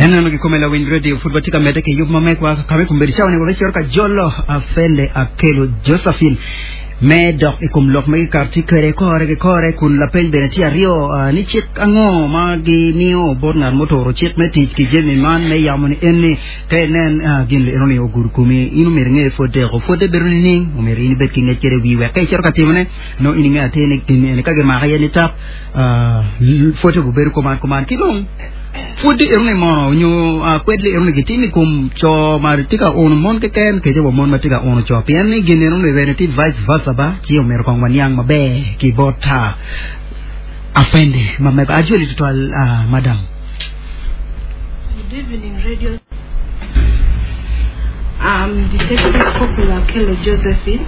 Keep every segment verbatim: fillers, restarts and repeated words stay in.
En gi kome lawiny radio pud watye ka medde ki yub ma megwa kame kombeddi cawa ni wabecito ka jolo afende Akelo Josephine me dok i kom lok ma gikato tye kwede kore ki kore kun lapeny bene tye aryo uh, ni cik ango ma gimiyo bot ngat muturo cik me tic ki jami man me yamo ni en ni ka inen uh, gin eno ni ogudo komi in omyero inge pwod pwodde bedo nining omyero in ibed ki ngec kede wi wek ka icito ka timone no in inge atir ni gin eni ka gimako iye ni tap uh, pwodde obedo kuman kuman ki dong pwodde eno ni mono nyo uh, kwedli eno ni gitimo i kom co ma tye ka uno mon keken kece wa mon ma tye ka uno co pien ni gin eno ni bene tye vice versa ba ci omyero kong waniang maber ki bot uh, afende ma mego ajweli tutwal uh, madam Good evening, radio. I'm Detective Corporal Akelo Josephine.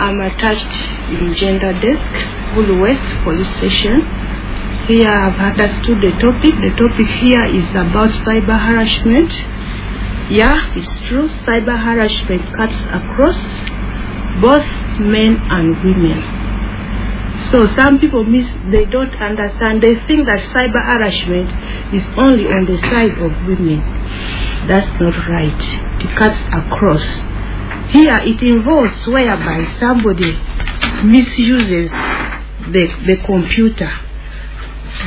I'm attached in Gender Desk, Gulu West Police Station. Here I've understood the topic. The topic here is about cyber harassment. Yeah, it's true. Cyber harassment cuts across both men and women. So some people miss, they don't understand. They think that cyber harassment is only on the side of women. That's not right. It cuts across. Here it involves whereby somebody misuses the, the computer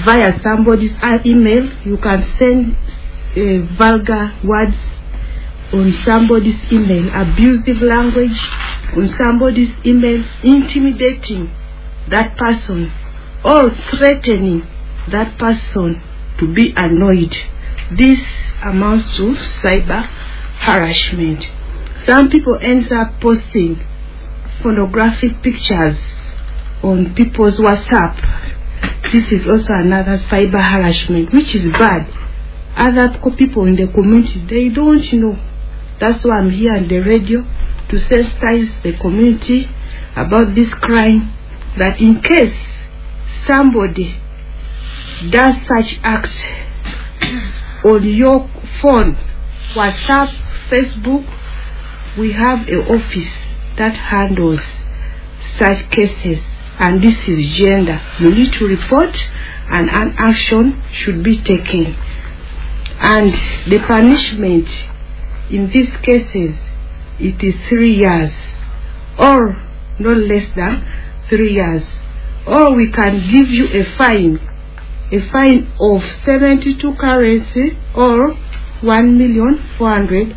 via somebody's email. You can send uh, vulgar words on somebody's email, abusive language on somebody's email, intimidating that person or threatening that person to be annoyed. This amounts to cyber harassment. Some people end up posting pornographic pictures on people's WhatsApp. This is also another cyber harassment, which is bad. Other co- people in the community, they don't know. That's why I'm here on the radio to sensitize the community about this crime, that in case somebody does such acts on your phone, WhatsApp, Facebook, we have an office that handles such cases, and this is gender. You need to report, and an action should be taken. And the punishment in these cases, it is three years, or no less than three years. Or we can give you a fine, a fine of seventy-two currency or one million four hundred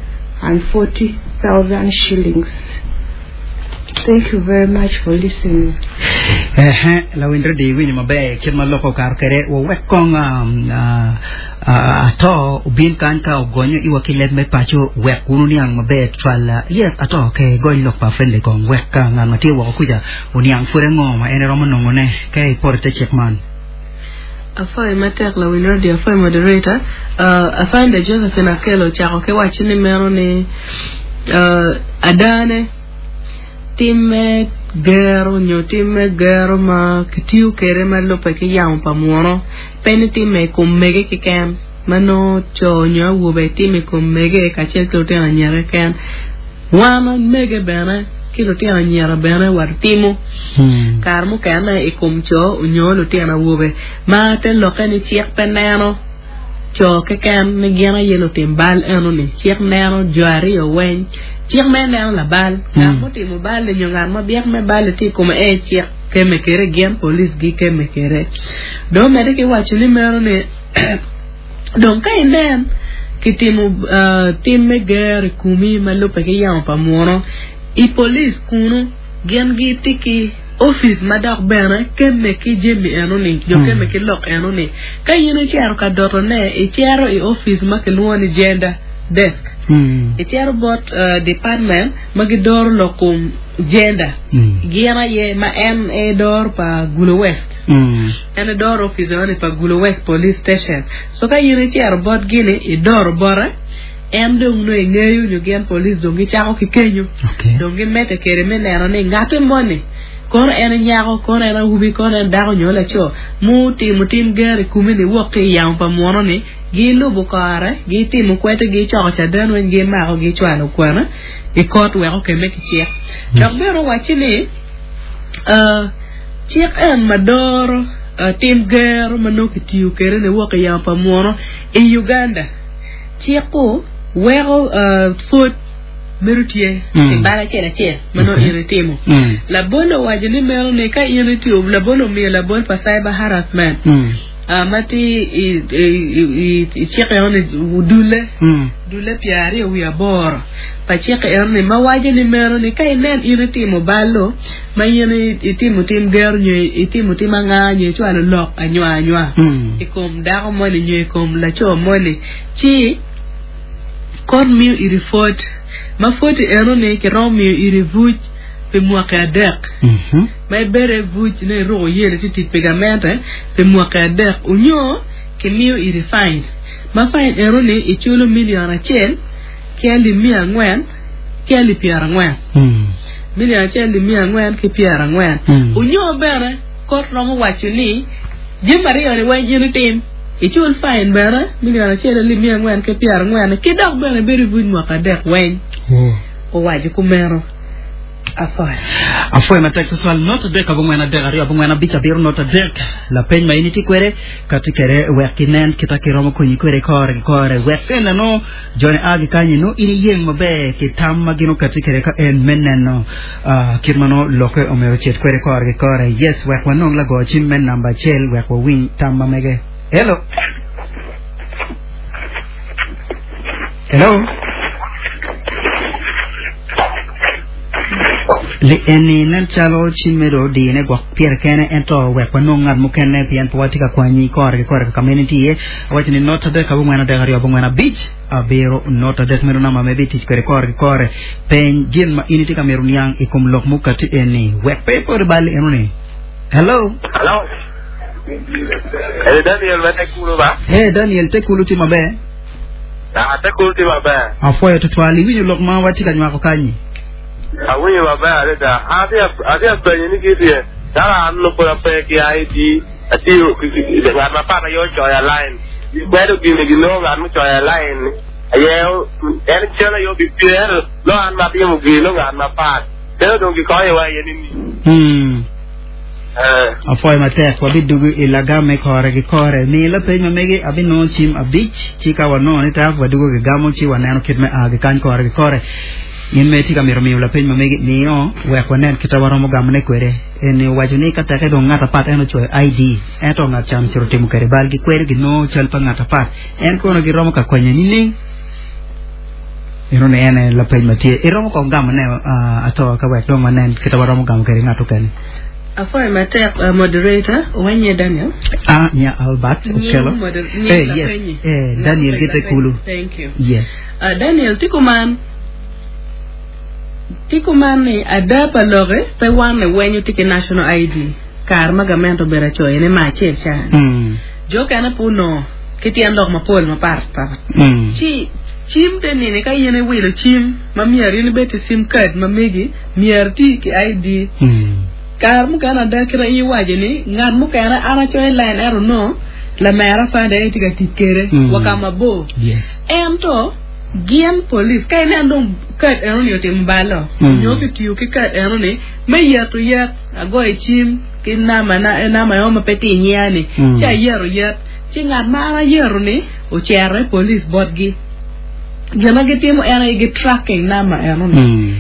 and forty thousand shillings. Thank you very much for listening. Ehe, lawiny radio iwinyo maber kit ma loko kar kede wawek kong um, uh, uh, ato obin kany ka ogonyo iwa ki leb me paco wek wun oniang maber tutwal uh, yes ato ke gony lok pa friendly kong wek ka ngat ma tye woko kuca oniang pud ango ma en romo nongone ka iporo te cik man. Afoy matek lawiny radio, afoy moderator. uh, afande Josephine Akelo ochako ki waco ni meno ni uh, adane tim me gero nyo tim me gero ma kitiyo kede ma lubbe ki yamo pa muno pe ni timme i kom mege keken ma nongo co nyo awobe timo i kom mege kacel ki lutino anyira keken wan mege bene ki lutino anyira bene watimo Hmm. kare mukene i kom co nyo lutino awobe ma te lokke ni cik pe neno co keken ni gin aye lutim bal enoni. Cik neno jo aryo weng, cik me neno labal ngat Mm. mutimo bal nyo ngat ma byek me bal tye i kome e cik keme kede gin police gi keme kede dong medde ki waco ni meno ni dong ka inen kitimo uh, tim me gero i komi ma lubbe ki yamo pa muno i police kunu gin gitye ki office ma dok bene kemme ki jami enoni jo Mm. kemme ki lok enoni ka in icito ka dotone icito i office ma kilwongo ni gender desk Hmm. icito bot uh, department ma gidoro lok kom gender Mm. gin aye ma en e doro pa Gulu West Mm. en doro office eni pa Gulu West Police Station so ka in icito bot gini idoro bote en dong nongo ingeyo nyo gin police dong gicako ki kenyo Okay. dong gimedde kede me neno ni ngate moni kono en nyako kono en awobi kono en dako nyo laco mutimo tim gero i komi ni wok ki i yamo pa muno ni gilubo kore gitimo kwete gicoko caden weng gimako gicwalo kwena i kot wek okemme ki cik dok bene owacci ni uh, cik en ma doro uh, tim gero ma nongo kitiyo kede ni wok i yamo pa muno i Uganda. Ciko weko uh, pwod bedo tye Mm. i bal acel acel ma nongo Okay. in itimo. Mm. Labol owaco ni meno ni ka in itiyo labol omiyo labol pa cyber harassment Mm. uh, ma tye i, i, i, i, i cik eno ni dulle Mm. dulle pyero aryo wiye aboro pa cik eno ni ma waco ni meno ni ka inen in itimo balo ma in i- itimo tim gero nyo itimo tim anga nyo icwalo lok anywa anywa Mm. i kom dako moni nyo i kom laco moni ci kot miyo iri pwod ma pwod eno ni kiromo miyo iri buc pi mwaki adek Mhm. ma ibedo i buc ne iruko yelo ci tic pi gamente pi mwaki adek onyo kimiyo iri fine ma fine eno ni iculo milion acel ki alip mia angwen ki alip pyero angwen Mm. milion acel alip mia angwen ki pyero angwen Mm. onyo bene kot romo waco ni jami aryo ni weng in itim icul fine bene milion acel alip mia angwen ki pyero angwen ki dok bene ibedo i buc mwaka adek weng Oh. owaco kumeno afoyo Afoyo matek tutwal not adek abongwen adek aryo abongwen abic abiro not adek lapeny ma in itye kwede kati kede wek kinen kita kiromo konyi kwede kore ki kore wek en no joni a gi kanyi no in iyeng maber ki tam ma gin okati kede ka en me neno uh, kit ma no loke omero cet kwede kore ki kore yes wek wanong lago cim me namba acel wek wawiny tam ma mege hello hello Li eni nen calo cim medo dine gwok pyere kene ento wek wanong ngat mukene pien pe watye ka kwanyi kore ki kore ka meno tye awaco ni not adek abongwen adek aryo abongwen abic abiro not adek meno namba ma ibitic kwede kore ki kore peny gin ma in itye ka mito niang i kom lok mukati eni wek pe ipot i bal eno ni hello Hello. Eh Daniel ma tekulu ba? hey Daniel tekulu tye maber Ah tekulu tye maber. apwoyo tutwal iwinjo lok ma watye ka nywako kanyi Awinjo maber adada. Atye atye penyo ni kitye. Dala an no pora pe ki ID. Atiyo ngat ma pat aye ocoyo line. Bedo gini ginongo ngat mucoyo line. Aye en cen aye obipyer lo an ma timo gini lo ngat ma pat. Kendo dong gikonyowa iye ni ni. hmm. Eh. apwoyo matek wabidugu i lagam me kore ki kore mi lapeny ma megi abinongo cim abic ci ka wanongo ni tak wadugo gigamo ci waneno kit me a gi kany kore ki kore in me tye ka mito miyo lapeny ma megi miyo wek wanen kita waromo gamone kwede eni owaco ni ka teke dong ngat apat en ocoyo ID ento ngat can ocito timo kede bal gikwede ginongo cal pa ngat apat en kono giromo ka konye nining eno ni ene lapeny ma tye iromo kong gamone uh, ato ka wek dong wanen kita waromo gamo kede ngat okene afoyo matek uh, moderator wenye Daniel Ah, nya Albert Okello. Nying moder- nying Eh, yes. lapenyi. Eh, Daniel Gitekulu. Thank you. Yes. Uh, Daniel tikuman tikuman ni ada pa loke pe wan ni wenyo tiki national I D kar ma gamento obedo acoyo ni ma acel can Mm. jo kene pe onongo ki tyen lok mapol mapat pat Mm. ci cim te nini ka in iwilo cim ma myero in ibed ki sim card ma megi myero ti ki I D Mm. kar mukene ada kite in iwaco ni ngat mukene an acoyo line ento no lamera fande en tye ka tic kede Mm. wa ka mabor Yes. ento gin police ka inen dong card eno ni otimo balo Mm. nyo kitiyo ki card eno ni me yeto yet agoyo cim ki namba na namba eno ma pe tye i nyinga ni Mm. ci ayeto yet ci ngat ma an ayero ni ocero i police botgi gin ma gitimo en aye gi tracking namba eno ni Mm.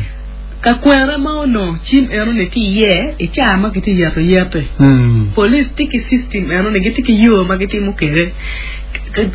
ka kwene ma onongo cim eno ni tye iye i caa ma kitye yeto yete Mm. police tye ki system eno ni gitye ki yo ma gitimo kede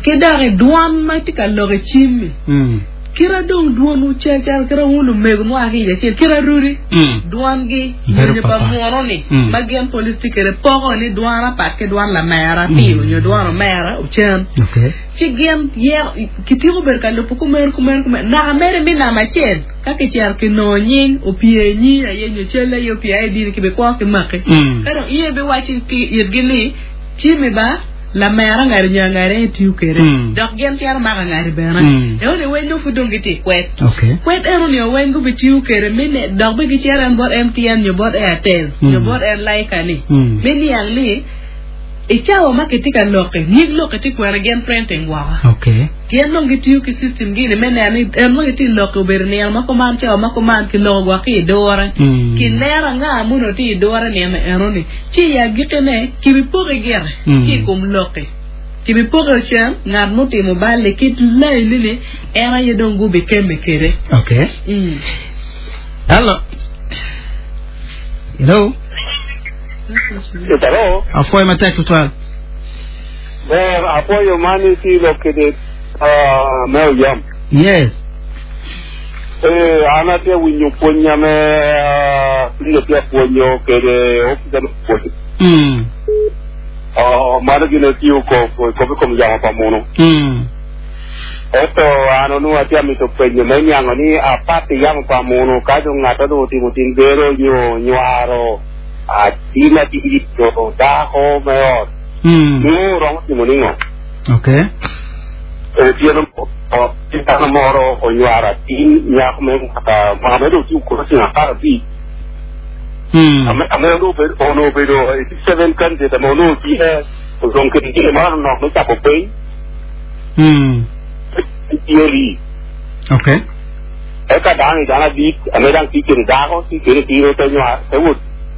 ki dok i dwon ma tye ka lok i cim-mi Mm. kira dong dwon cal cal kira wun lumego mua ki iye acel kira rudi Mm. dwongi Bedo nyo pa papa. muno ni Mm. ma gin police tye kede poko ni dwon apat ki dwon lamera Mm. piyo nyo dwon omera ocen Okay. ci gin yero kitiko bedo ka lubo kumeno kumeno kumeno naka mere mi namba acel ka kicero kinongo nying opye nyi aye nyo cal aye opye I D ni kibikwo ki maki Mm. ka dong iye biwaco ki itgi ni cimi ba lamera ngari nyo angari en tiyo kede Mm. dok gin twero mako angari bene Mm. eno ni weng nongo pud dong gitye i kwed Okay. kwed eno ni weng gubitiyo kede mi ne dok be gicero en bot M T N nyo bot Airtel Mm. nyo bot en Laika ni Mm. mi niang ni i cawa ma kitye ka lokke nyig lokke tye kwene gin printing woko Okay. gin dong gitiyo ki system gini me neno ni en ma gitye lokke obedo nino ma kuman cawa ma kuman kiloko gwok ki i dure Mm. kineno anga muno tye i dure nino eno ni ci i agikkine kibipoko gire Mm. ki i kom lokke Kibi poke cen ngat mutimo balle kit line ni en aye dong gubi keme kede. Okay. Mm. Hello. Hello. Hello. Afoy matek tutwal. Ber apoyo mani ti lokede uh, me oyam. Yes. Eh, an atye winyo pwonya me uh, tye pwonyo kede ofisa me pwonyo. Mm. Oh, mano gino tiyo ko ko ko kom yamo pa muno. Mm. Eto an onu atye mito penyo me nyango ni apati yamo pa muno ka jo ng'ato do timo tim gero nyo nywaro a tina tiri to dako me ot. Mm. Nu romo timo ning'o. Okay. E tieno o titano moro onywaro atin nyako me kaka ma medo tiyo crossing apar abich. Mm. Ame ame ono bedo ono bedo eighty-seven candidate ame ono tie odong kedi tie moro nok me chako piny Mm. tieri. Okay. Eka dang dang adit ame dang ti kiri dako ti kiri tiro te nywa te wut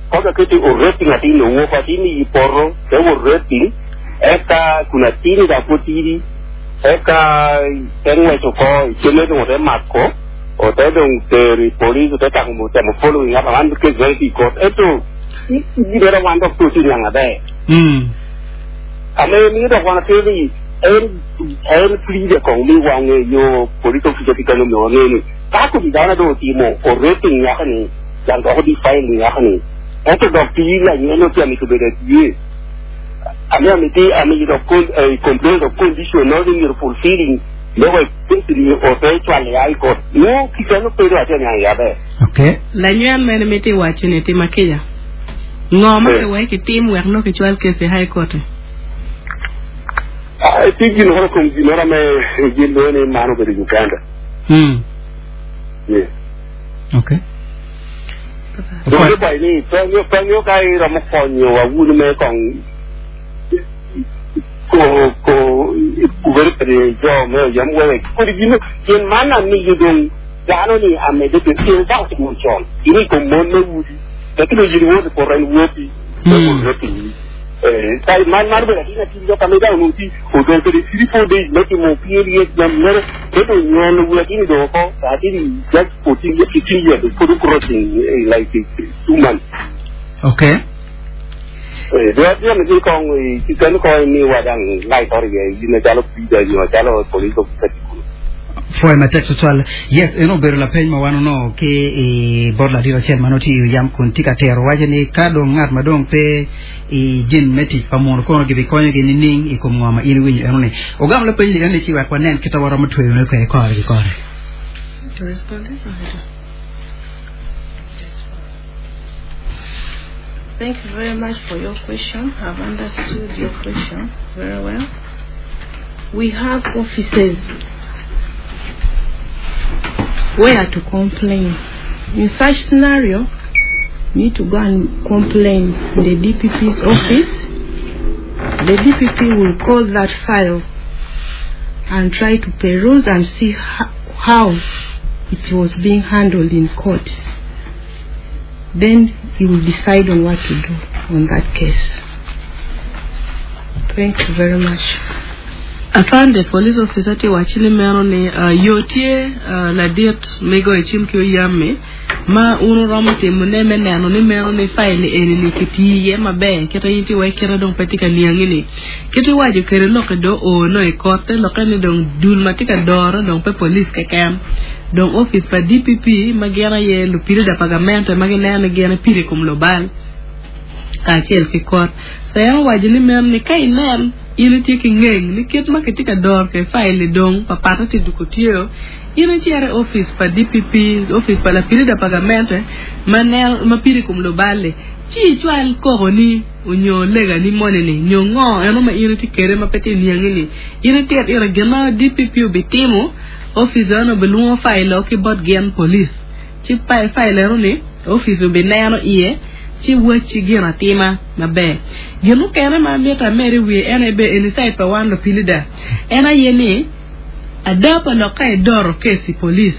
koka kiti o rating atin no wuok atin i porro te wut rating eka kuna tini da kotiri eka te ngwecho ko cheme dong te mako o te dong teri police te tang mo te mo following up man ke zoi ko eto i bera wan dok tu ti nyanga be. Mm. Ame mi do wana teri en en pli ko mi wange yo police officer ti kano mi wange ni ka ko bi dana do ti mo o rating ya ni yang do di file ya ni eto do ti la ni no ti ami to be de ye ame ami ti ami do con eh complain do condition no ni fulfilling luego ni o te chwale ai ko no ki no pero ati nya ya be. Okay. La nyuen mene miti wacho ni tima kija. Ngo ma Eh. ke wai ki tim wek no ki chwal kesi high court. Ah, ti gi no ko gi no me gi no ni mano be Uganda. Mm. Yeah. Okay. Do ni bai ni penyo penyo kai romo konyo wa wun me kong ko ko kubere pere jo me yam we ko di no yen mana mi yudong dano ni ame de te tin ba ti mo chon ini ko mon me wudi te ki yiri wo ko ren wo ti Mm. ko ti eh tai man mar be ti na ti jo ka me da no ti o do te three four days me ti mo pi ye jam mere te do nyon wo ti ni do ko ta ti just fourteen years fifteen years for crossing eh, like two months. Okay. Eh, dua dia mesti kong kita ni kong ni wadang lai tori ye ni jalo pida ni jalo police officer. Foy matek tutwal. Yes, eno bedo la peny ma wan ono ke e bor la diro chel manoti yam kun tika tero wacho ni ka dong ng'at ma dong pe i gin me tic pa muno kono gibi konyo gi nining i kom ngo ma in iwinjo eno ni ogam la peny ni eno ni ci wek wanen kita waromo tweyo ne kwede kore ki kore. To respond this or I do? Thank you very much for your question. I've understood your question very well. We have offices where to complain. In such scenario, you need to go and complain in the D P P's office. The D P P will call that file and try to peruse and see how, how it was being handled in court. Then he will decide on what to do on that case. Thank you very much. Afande police officer ti wachini meno ni uh, yo tye uh, ladit migo i cim ki oyame ma un oromo timo ne me neno ni meno ni file eni ni kiti iye maber kite in ti wai kite dong pe tye ka niangi ni kite iwaco kede loke do o no i kotte loke ni dong dul ma tye ka doro dong pe police keken dong office pa D P P ma gin aye lupirida pa gamente ma gineno ni gin pire i kom lubal kacel ki kot so en owaco ni meno ni ka inen in itye ki ngeng ni kit ma kitye ka doro ke file dong papata tye duko tye in icito i office pa D P P, office pa lapirida pa gamente ma neno ma piri i kom lubal-li ci icwal koko ni onyo lega ni moni ni nyo ngo eno ma in itye kede ma pe tye niangi ni in itit ire gin ma D P P obitimo office eno obilwongo file o ki bot gin police ci file eno ni office obineno iye ci wacci gin atima maber gin mukene ma mito amed i wiye en aye be eni side pa wan lupilida en aye ni ada pa lok ka idoro kesi police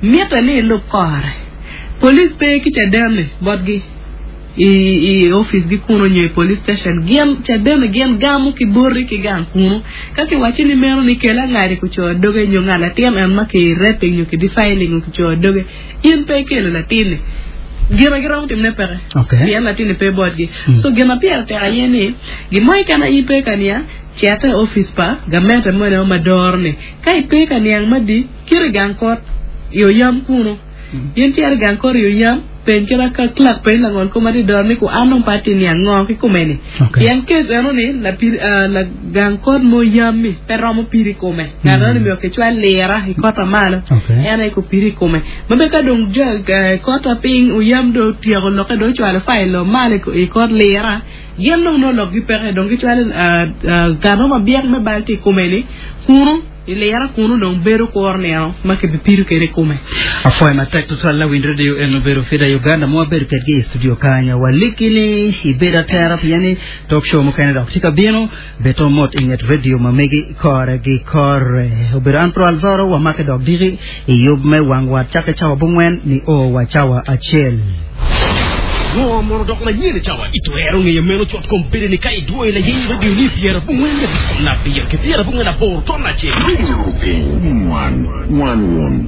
mite ni ilub kore police pe ki caden botgi. i i office gi kuno nyo i police station gin cadene gin gamo ki bori ki gang kuno ka kiwaco ni meno ni kela ngadi kuco doge nyo ngat latin en ma ki raping nyo ki defiling kuco doge in pe ikelo latinni gina giromo timne peke Okay. pien latinni pe botgi Mm. so gina pire tek aye ni gimo keken in pe ka niang cete i office pa gamente mone ma doro ni ka ipe ka niang madi kiri gang kot i oyam kuno in cito i gang kot i oyam peny kila ka clerk peny langol ko ma ti doro ni ku an dong pe ati niang ngo ki kome ni Okay. pien kes eno ni la piri uh, la gang kot mo yam mi pe romo piri i kome ngat eno ni myero kicwal lira i kota malo Okay. en aye ko piri i kome mabe ka dong jo eh, kota piny oyam do otyeko loke do ocwalo file o malo i ko- i kot lira gin dong no lok gi peke dong gicwalo uh, uh, gano ma byek me bal ti i kome ni kunu i lira kunu dong bedo kur nino ma kibipiro kede i kome Afoy matek tutwal la Winj Radio en obedo Fida Uganda ma wabedo kedgi i studio kanya walikini ibedo atera pieni talk show mukene dok tye ka bino beto mot i nget radio ma megi kore gi kore obedo an Pro Alvaro wamake dok diki i yub me wang wat cake cawa bongwen ni o wa cawa acel Ngo mono dok manyien cawa itwero ng'eyo meno cot kom bedo ni ka idwoyo la yeny radio ni piero abongwen gabich kom abiro ki piero abongwen aboro ton acel Radio Piny One One One.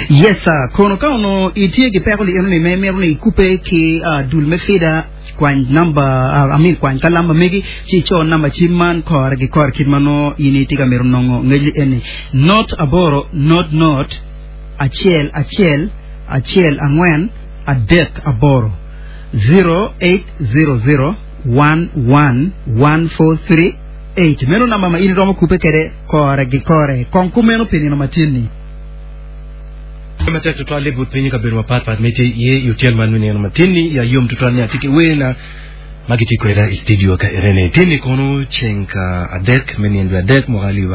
Yes sir kono ka ono itie gi peko li eno ni me miro ni ikupe ki uh, dul me fida kwany number uh, I mean kwany kalamba megi ci co namba cim man kore gi kore kit mano in itye ka mito nongo ngec eni not aboro not not acel acel acel angwen adek aboro zero eight zero zero one one one four three eight meno namba ma in iromo kupe kede kore gi kore kong kumeno pi nino matin ni matek tutwal but piny kabedo mapatpat mete ye i otyeno man mineno matin-ni ya yom tutwal ni atye ki wena ma gitye kweda i studio ka erene tinni kono ceng ka adek me nindo adek mwaka alip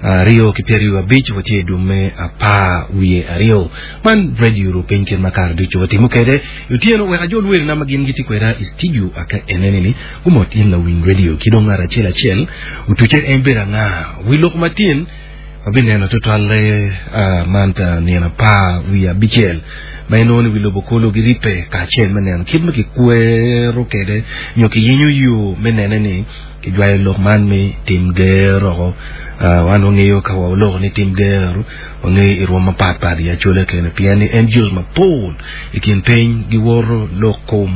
aryo ki pyeraryo abic watye i dum me apar wiye aryo man radio ru piny kit ma kare ducu watimo kede i otyeno wek ajol werena ma gin gitye kweda i studio aka enene ni gumot in lawiny radio ki dong ngat acel acel otuce en bedo anga wi lok matin wabineno tutwalle uh, man ta nino apar wiye abicel ma inongo ni wi lobo kolo giripe kacel me neno kit ma kikwero kede nyo kiyenyo yo me nene ni kijwayo lok man me tim gero oko uh, wan wangeyo ka waloko ni tim gero wangeyo i rwom mapatpat i acole kene pien ni N G Os mapol i kin piny giworo lok kom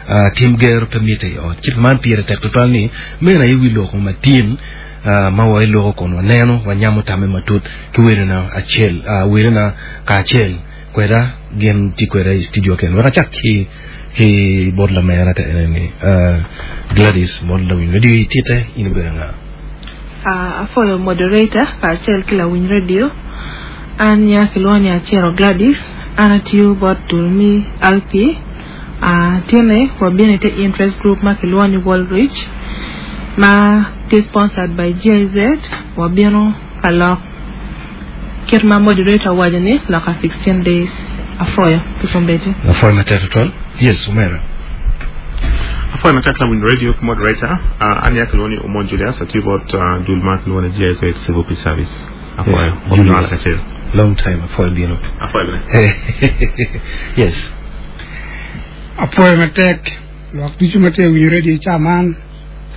uh, tim gero pe mitte i ot ci man pire tek tutwal ni meno aye wi loko matin uh, ma wa iloko kun waneno wanyamo tame matut ki werena acel uh, werena kacel kweda gin tye kweda i studio ken wek acak ki ki bot lamera ka ene ni uh, Gladys bot lawiny radio itite in ibedo nga Uh, afoyo moderator kacel ki lawiny radio an nya kilwongo ni Acero Gladys an atiyo bot dul mi L P uh, tyene wabino ite interest group ma kilwongo ni World Reach ma tye sponsored by G I Z wabino ka lok kit ma moderator owaco ni loka sixteen days afoyo pi kombeddi. Afoyo matek tutwal yes omera. Afoyo matek lawiny radio ki moderator uh, an ya kilwongo ni Omon Julius atiyo bot uh, dul ma kilwongo ni G I Z Civil Peace Service afoyo. Yes, wabino Julius. Kacel. Long time afoyo bino. Afoyo bene. Yes. Apoyo matek lwak ducu ma tye winyo radio ca man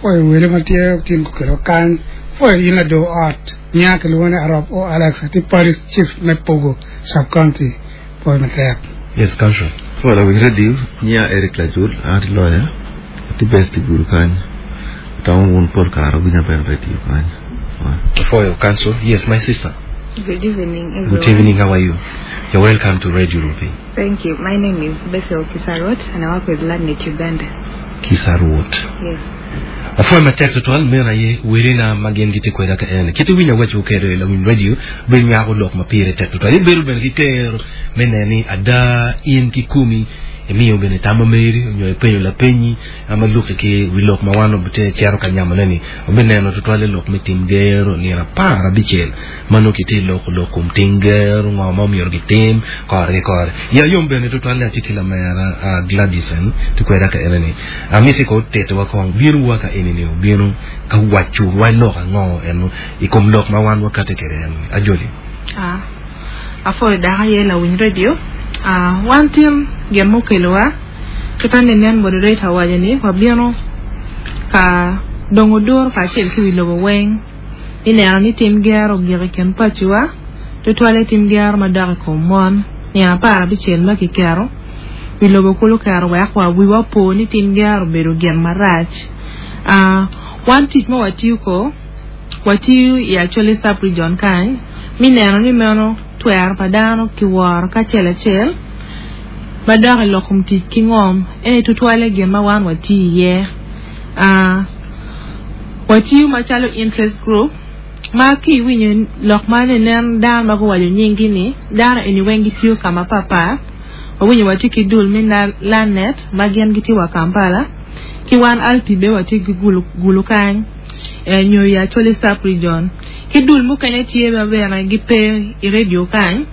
foyo wele ma tye tin kukelo kany foyo in lado ot nya kilwongo ni Arop o Alex ati parish chief me Pogo sub county foyo matek. Yes council. Well, we radio nya Eric Lajul ati lawyer ati best guru kany tawo un por karo binya ben radio kany. Afoyo council. Yes, my sister. Good evening, everyone. Good evening, how are you? You're welcome to Radio Rupiny. Thank you. My name is Bethel Kisarot, and I work with LandNet Uganda. Kisarot. Yes. Afoyo matek tutwal meno aye werena ma gin gitye kweda ka ene kit iwinyo waco kede lawiny radio bedo nywako lok ma pire tek tutwal ibedo bene ki kero me neno ni ada in kikumi imiyo bene tam meri onyo ipenyo lapenyi ama luki ki wi lok ma wan obite cero ka nyamone ni obineno tutwal i lok me tim gero nino apar abicel ma nongo kitye loko lok kom tim gero ngo ma omyero gitim kore ki kore ya yom bene tutwal ni atye ki lamera uh, Gladys en tye kweda ka ene ni amiti ko titowa kong bino wa ka eni ni obino ka waco wa lok ango eno i kom lok ma wan wakate kede en ajoli. Ah, afoyo daka ye lawiny radio. Ah, wan tin gin mokelowa kita nenen moderator waco ni wabino ka dongo duro kacel ki wi lobo weng ineno ni tim gero ogik i kin paciwa tutwale tim gero madok i kom mon nino apar abicel ma kiketo wi lobo kulu kero wek wa wiwa opo ni tim gero obedo gin marac Ah, wan tic ma watiyo ko watiyo i Acholi sub-region kany mi neno ni meno twero pa dano kiworo kacel acel madok i lok kom tic ki ngom eni tutwale gin ma wan watiyo iye Ah, watiyo macalo interest group ma ki iwinyo lok ma nenen dano ma guwaco nyinggi ni dano eni weng gitiyo ka mapapat wawinyo watye ki dul me Lanet ma gin gitye wa Kampala ki wan Alpi be watye ki gulu, gulu kany eh, nyo i Acholi sub-region ki dul mukene tye ma bene gipe i radio kany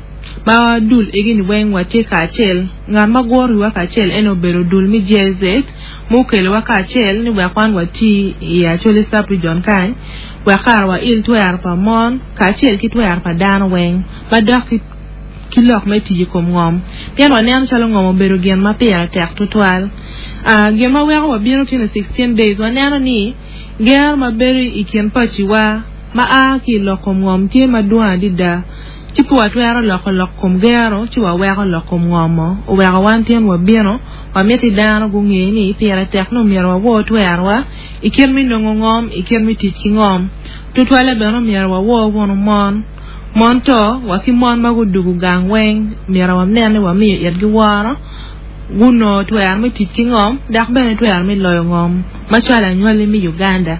ma dul egini weng watye kacel ngat ma guro wiwa kacel en obedo dul me G I Z mukelowa kacel ni wek wan wati i Acholi sub-region kany wek kara wail twero pa mon kacel ki twero pa dano weng madok ki ki lok me tic i kom ngom pien waneno calo ngom obedo gin ma pire tek tutwal uh, gin ma weko wabino tino sixteen days waneno ni gero ma bedo i kin paciwa ma a ki i lok kom ngom tye madwong adada ci pe watwero loko lok kom gero ci waweko lok kom ngomo oweko wan tyen wabino wamiti dano gunge ni pire tek ni omyero wawor twerowa i kit me nongo ngom i kit me tic ki ngom tutwale bene omyero wawor wunu mon mon to wa ki mon ma gudugu gang weng myero wanen ni wamiyo itgi woro guno twero me tic ki ngom dok bene twero me loyo ngom macalo anywali me Uganda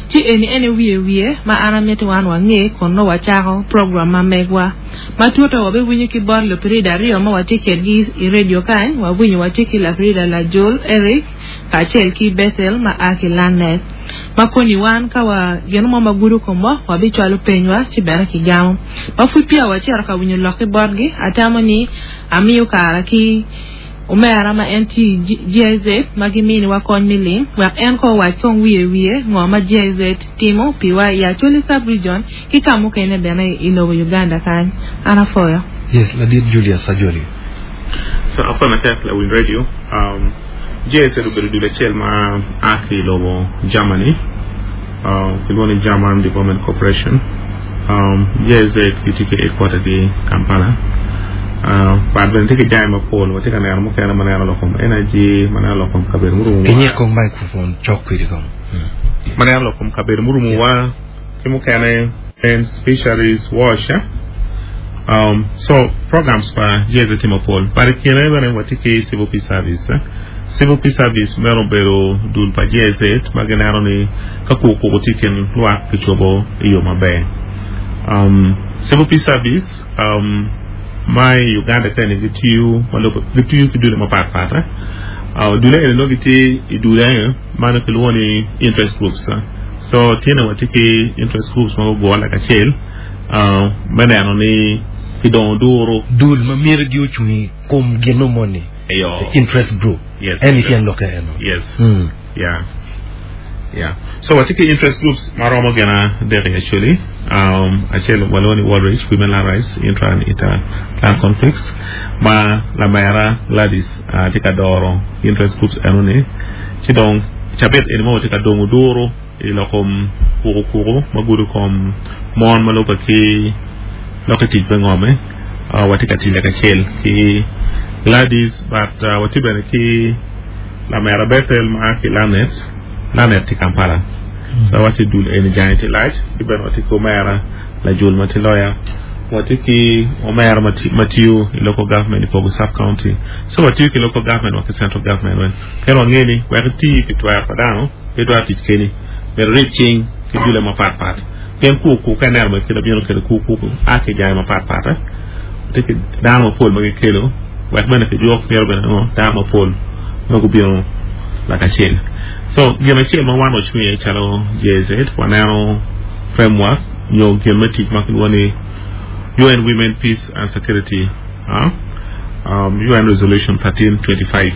ci eni ene wiye wiye ma an amiti wan wange kun nongo wacako program ma megwa ma tuto wabiwinyo ki bot lupirida aryo ma watye kedgi i radio kany wawinyo watye ki lapirida Lajul Eric kacel ki Bethel ma a ki Lanet ma koni wan ka wa gin mo ma gudo komwa wabicwalo penywa ci bene kigamo ma pud peya wacito ka winyo lok ki botgi atamo ni amiyo kara ki omera ma en tye i G I Z ma giminiwa kony me lim wek en ko owac kong wiye wiye ngo ma G I Z timo piwa i Acholi sub-region ki ka mukene bene i lobo Uganda kany an afoyo. Yes, ladit Julius Ajoli. So afoyo matek la win radio. Um, G I Z obedo dul acel ma a ki i lobo Germany. Uh, kilwongo ni German Development Corporation. Um, G I Z gitye ki headquarter gi Kampala. Uh, but bene tye ki jami mapol watye ka neno mukene ma neno lok kom energy ma neno lok kom kabedo murumo Kinyik kong microphone cok kwedi kong. ma neno lok kom kabedo murumowa ki mukene and fisheries wash eh? um, so programs pa G I Z tye mapol but i kine bene watye ki civil peace service eh? Civil peace service meno obedo dul pa G I Z ma gineno ni ka kukuku tye i kin lwak kicobo i yo maber um, civil peace service um, ma i Uganda kene gitiyo ma lubbe gitiyo ki dule mapatpat eh? uh, dule eni nongo gitye i dule ma nongo kilwongo ni interest groups eh? So tyene watye ki interest groups ma gugure lakacel uh, me neno ni kidongo duro Dul ma myero gi ocung i kom gino moni. Eyo. The interest group. Yes. En ityen loke eno. Yes. Mm. Yeah. Yeah. So watye ki interest groups ma romo gin adek actually. Um, acel walwongo ni World Reach, Women Land Rights, Intra and Inter Clan Conflicts ma lamera Gladys uh, tye ka doro interest groups eno ni. Ci dong cabit eni mo watye ka dongo duro i lok kom kuku kuku ma gudo kom mon ma lubbe ki lok i tic me ngome. Uh, watye ka tic lakacel ki Gladys but uh, watye bene ki lamera Bethel ma ki Lanet Lanet tye Kampala. So watye dul eni jange tye lac ki bene watye ki omera Lajul ma tye lawyer watye ki omera ma ti- ma tiyo i local government i Kogo sub county so watiyo ki local government wa ki central government wen pien wange ni wek iti pi twero pa dano pe itwero tic keni myero irib cing ki dule mapatpat pien kuku ka ineno ma kelo bino kelo kuku a ki jange mapatpat eh? Watye ki dano mapol ma gikelo wek bene kijuk myero bene ngo dano mapol ma gubino lakacel so gin acel ma wan wacung iye calo G I Z waneno framework nyo gin me tic ma kilwongo ni U N Women Peace and Security uh, um, U N Resolution thirteen twenty-five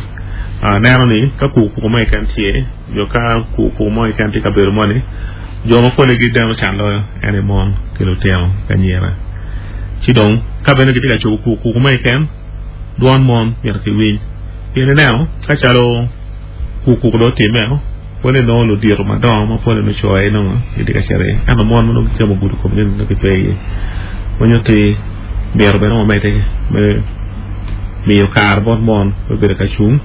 uh, neno ni ka kuku mo keken tye nyo ka kuku mo keken tye kabedo moni jo ma pole gideno can loyo en i mon ki lutino ki anyira ci dong ka bene gitye ka cobo kuku mo keken Dwon mon myero kiwiny. Pien ineno ka calo kukuku do otimme pwonye nongo ludito madongo ma pwonye nongo co aye nongo gitye ka cito iye ento mon ma nongo gikemo ogudo komgi nongo gipe iye manyo ti myero bene wamedde me miyo kare bot mon me bedo ka cung.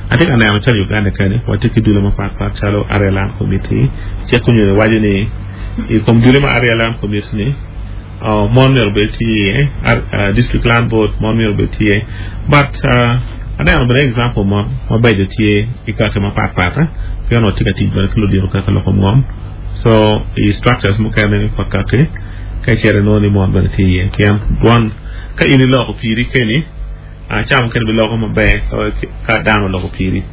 Atye ka neno calo Uganda kani watye ki dule mapatpat calo Area Land Committee cik onyonyo waco ni i kom dule ma Area Land Committee ni uh, mon myero obed tye iye uh, District Land Board mon myero obed tye iye but uh, aneno bene example mo mabeco tye i kaki mapatpat eh? Pien watye ka tic bene ki ludito kaka loko ngom so i structures mukene pa kaki ka icito inongo ni mon bene tye iye pien dwon ka in iloko piri keni uh, ca mukene biloko maber ka dano oloko piri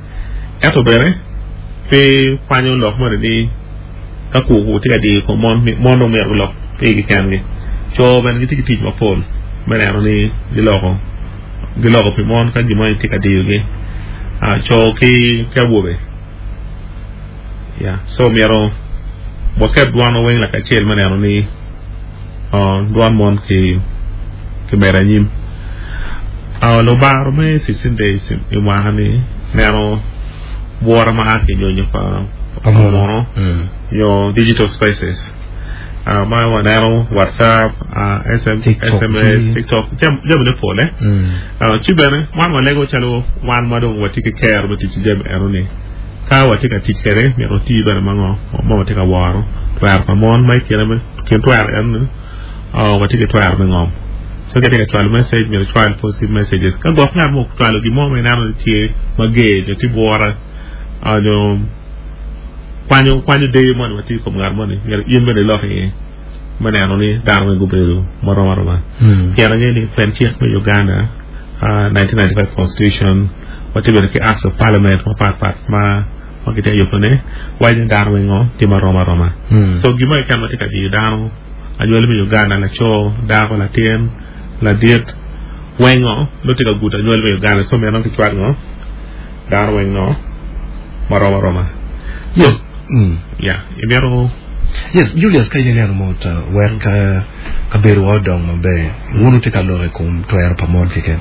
ento bene pe kwanyo lok moni ni ka kuku tye ka diyo kom mon mon dong myero gulok pigi kengi co bene gitye ki tic mapol me neno ni giloko giloko pi mon ka gimo tye ka diyogi uh, co ki ki awobe yeah so myero waket dwan weng lakacel me neno ni uh, dwan mon ki ki medo anyim uh, lubaro me sixteen days i mwaka ni neno bwora ma a ki nyonyo pa pa muno nyo digital spaces uh, ma waneno WhatsApp, uh, S M, TikTok, S M S, TikTok, jam jamine pol eh uh, ci bene wan walego calo wan ma dong watye ki kero me tic ki jami eno ni ka watye ka tic kwede myero oti bene ma ngo ma watye ka woro twero pa mon ma i kine me kin twero eno ni uh, watye ki twero me ngom so ka itye ka cwalo message myero icwal positive messages ka gwok ngat mo ocwalo gin mo ma ineno ni tye mager nyo tye bwora uh, nyo kwanyo kwanyo deyo moni ma tye i kom ngat moni myero in bene ilok iye me neno ni dano weng gubedo marom aroma pien angeyo ni pen cik me Uganda uh, nineteen ninety-five constitution watye bene ki acts of parliament mapatpat ma ma gitye ka yubone waco ni dano weng ngo tye marom aroma so gimo keken ma tye ka diyo dano anywali me Uganda laco dako latin ladit weng ngo nongo tye ka gudo anywali me Uganda so myero kicwal ngo dano weng no marom aroma. Yes. Mm. Yeah, imito Yes, Julius ka in ineno mot uh, wek uh, kabedo wa odong maber wun tye ka lok i kom twero pa mon keken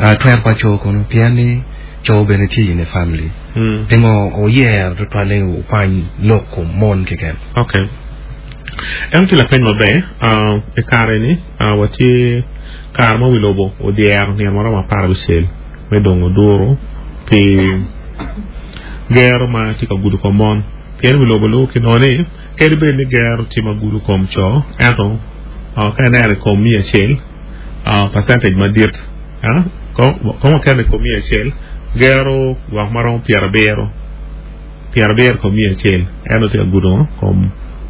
uh, twero pa co kono pien ni co bene tye in a family mm. pingo oyero tutwal ni okwany lok kom mon keken? Okay. En tye lapeny maber uh, i kare ni uh, watye kare ma wi lobo odyero nino maromo apar abicel me dongo duro pi gero ma tye ka gudo kom mon pien wi lobo lubo kinongo ni kadi bed ni gero tye ma gudo kom co ento uh, ka ineno i kom miya acel uh, percentage madit uh, kom wakeno i kom miya acel gero gwok maromo pyerabiro pyerabiro kom miya acel ento tye ka gudo kom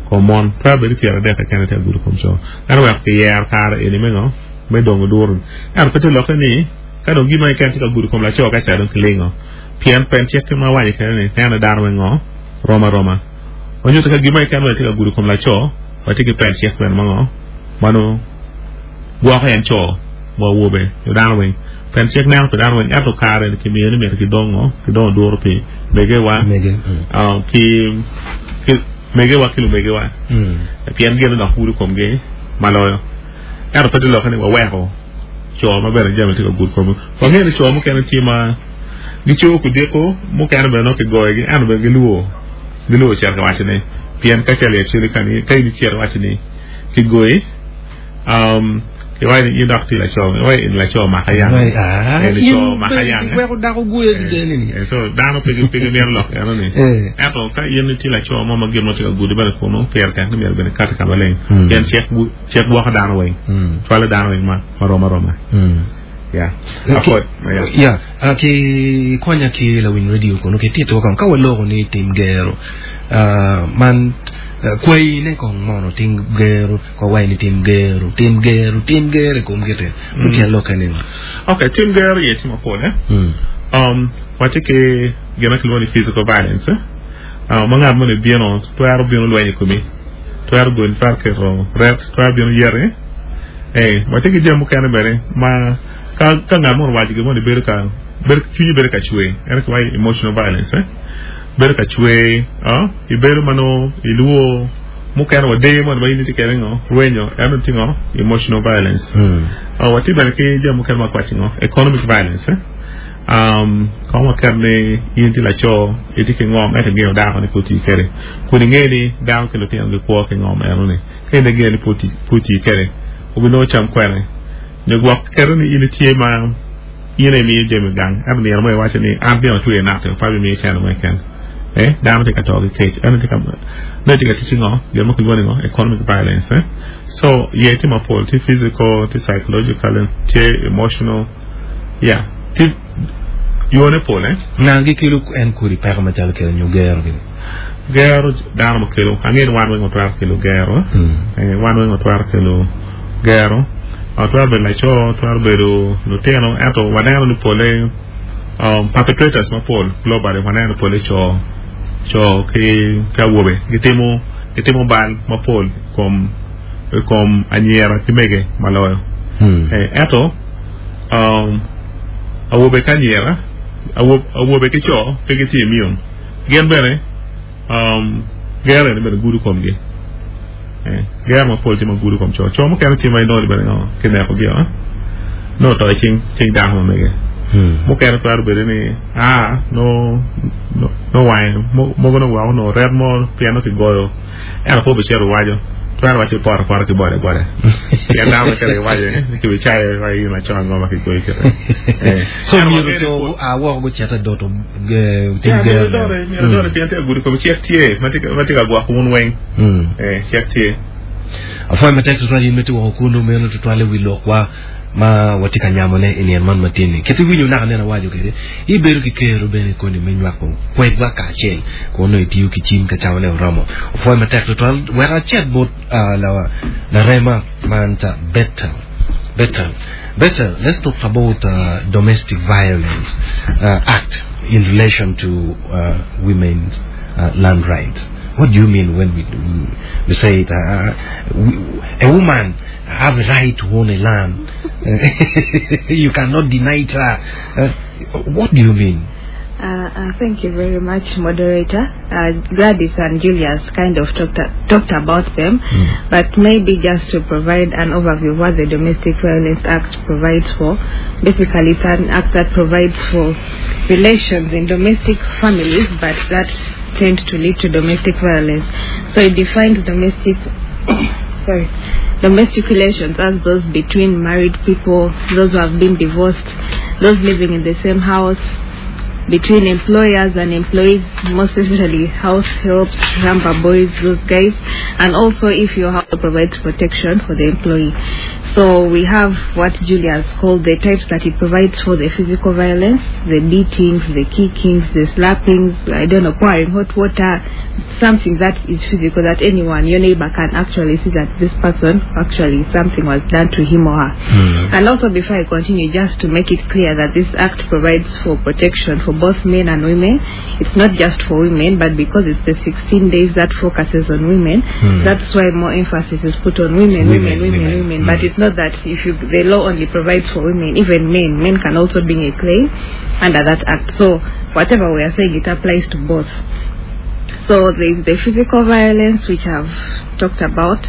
kom mon twero bedo pyeradek keken tye ka gudo kom co ento wek kiyero kare eni me ngo me dongo duro ento pe tye lokke ni ka dong gima keken tye ka gudo kom laco ka ca dong kilingo pien pen cik ma waco kene ni neno dano weng ngo rom aroma onyuto ka gima keken bene tye ka gudo kom laco watye ki pen cik bene ma ngo mano gwoko en co wa awobe nyo dano weng pen cik neno pi dano weng ento kare ni kimiyo ni myero kidongo kidongo duro pi megewa mege mm. uh, ki ki megewa ki lumegewa Mm. pien gin dok gudo komgi maloyo ento pe tye lokke ni waweko co ma bene jami tye ka gudo komgi wangeyo ni co mukene tye ma gicobo kudiko mukene bene nongo kigoyogi ento bene giluwo giluwo cito ka waco ni pien ka calo actually ka ni ka in icito iwaco ni kigoyi um, iwaco ni in dok tye laco iwaco in laco maka yang. Ah, Eh, laco maka yang eh. weko dako guyo gideni ni Eh, so dano pe pe gimito lok eno ni Eh. ento ka in tye laco mo ma gin mo tye ka gudi bene kunu pire tek ni myero bene kati ka maleng Mm. pien cik gu- cik gwoko dano weng Mm. cwalo dano weng ma marom aroma. Mm. Yeah. Ki- Apod, yeah. Ya, ah, ki konya ki lawiny radio kono ki tito kong ka waloko ni tim gero ah, man ah, kwai ne kong mono tim gero ko wai ni tim gero tim gero tim gero i kom kite Mm. tyen lokke ni Okay, tim gero iye tye mapol eh Mm. um watye ki gin ma kilwongo ni physical violence eh? uh, ma ngat moni bino twero bino lweny i komi twero goni twero keto ret twero bino yeri eh watye ki jami mukene bene ma ka ka ngat moni owaco gin moni bedo ka bedo cwinyi bedo ka cwer ento kiwaco emotional violence eh? Bedo ka cwer uh, ibedo ma nongo iluwo Mukene wa dee mon ma in itye kede ngo rwenyo eno tye ngo emotional violence. Uh, watye bene ki jami mukene ma kwaci ngo economic violence eh? um, kong waket ni in tye laco itye ki ngom ento ingeo dako ni pe oti kede kun inge ni dako ki lutino gikwo ki ngom eno ni ka in ingeo ni pe oti pe oti kede obinongo cam kwene nyo gwok keto ni in itye ma in imiyo jami gang ento nino mo iwaco ni an bino atweyo nate pa bimiyo cene mo keken eh dano tye ka to ki kec eno tye ka no tye ka tic ngo gin mo kilwongo ni ngo economic violence eh so ye tye mapol tye physical tye psychological tye emotional yeah tye yone pol eh Nga gikelo en kodi peko macalo kelo nyo gero gini gero dano ma kelo ang'e ni wan weng otwero kelo gero eh wan weng otwero kelo gero otwero bedo laco otwero bedo lutino ento waneno ni pole um, perpetrators mapol globally waneno pole co co ki ki awobe gitimo gitimo bal mapol kom kom anyira ki mege maloyo eh, ento um, awobe ki anyira awo- awobe ki co pe gitye immune gin bene um, gero eni bene gudo komgi eh, gero mapol tye ma gudo kom co co mukene tye ma inongo ni bene ngo kinekogi o no to i cing cing dako ma mege mukene twero bedo ni a no no no wange mo- mogo no wako no ret mo pien no kigoyo ento pe obicito waco twero waco poto apota ki boda boda pien dano mukene kiwaco ni kibicayo wa in laco ango ma kigoyi kite Eh. so Ento myero wang'e ni co a woko gucito doto ge- tim Yeah, gero myero dore myero dore pien tye agudo kome cik tye ma tye ka- ma tye ka gwoko wun weng Mm. eh cik tye afwoyo matek tutwal in miti woko kunu meno tutwale wi lokwa ma watye ka nyamone i nino man matin-ni kit iwinyo naka nene awaco kede ibedo ki kero bene koni me nywako kwedwa kacel kun nongo itiyo ki cim ka cawane oromo opwoyo matek tutwal wek acet bot uh, la, larema man ta Bethel Bethel Bethel let's talk about uh, domestic violence uh, act in relation to uh, women's uh, land rights what do you mean when we, we say it, uh, we, a woman have a right to own a land? you cannot deny it her. Uh, what do you mean? Uh, uh, thank you very much, moderator. Uh, Gladys and Julius kind of talked, talked about them, but maybe just to provide an overview of what the Domestic Violence Act provides for. Basically, it's an act that provides for relations in domestic families, but that tend to lead to domestic violence. So it defines domestic sorry, domestic relations as those between married people, those who have been divorced, those living in the same house, between employers and employees, most especially house helps, ramba boys, those guys, and also if your house provides protection for the employee. So we have what Julius called the types that it provides for the physical violence, the beatings, the kickings, the slappings, I don't know, pouring hot water, something that is physical that anyone, your neighbor can actually see that this person actually something was done to him or her. And also before I continue, just to make it clear that this act provides for protection for both men and women. It's not just for women, but because it's the sixteen days that focuses on women, Hmm. that's why more emphasis is put on women, women, Women, women, women. women. Hmm. But it's not that if you, the law only provides for women, even men, men can also bring a claim under that act. So whatever we are saying, it applies to both. So there is the physical violence, which I've talked about,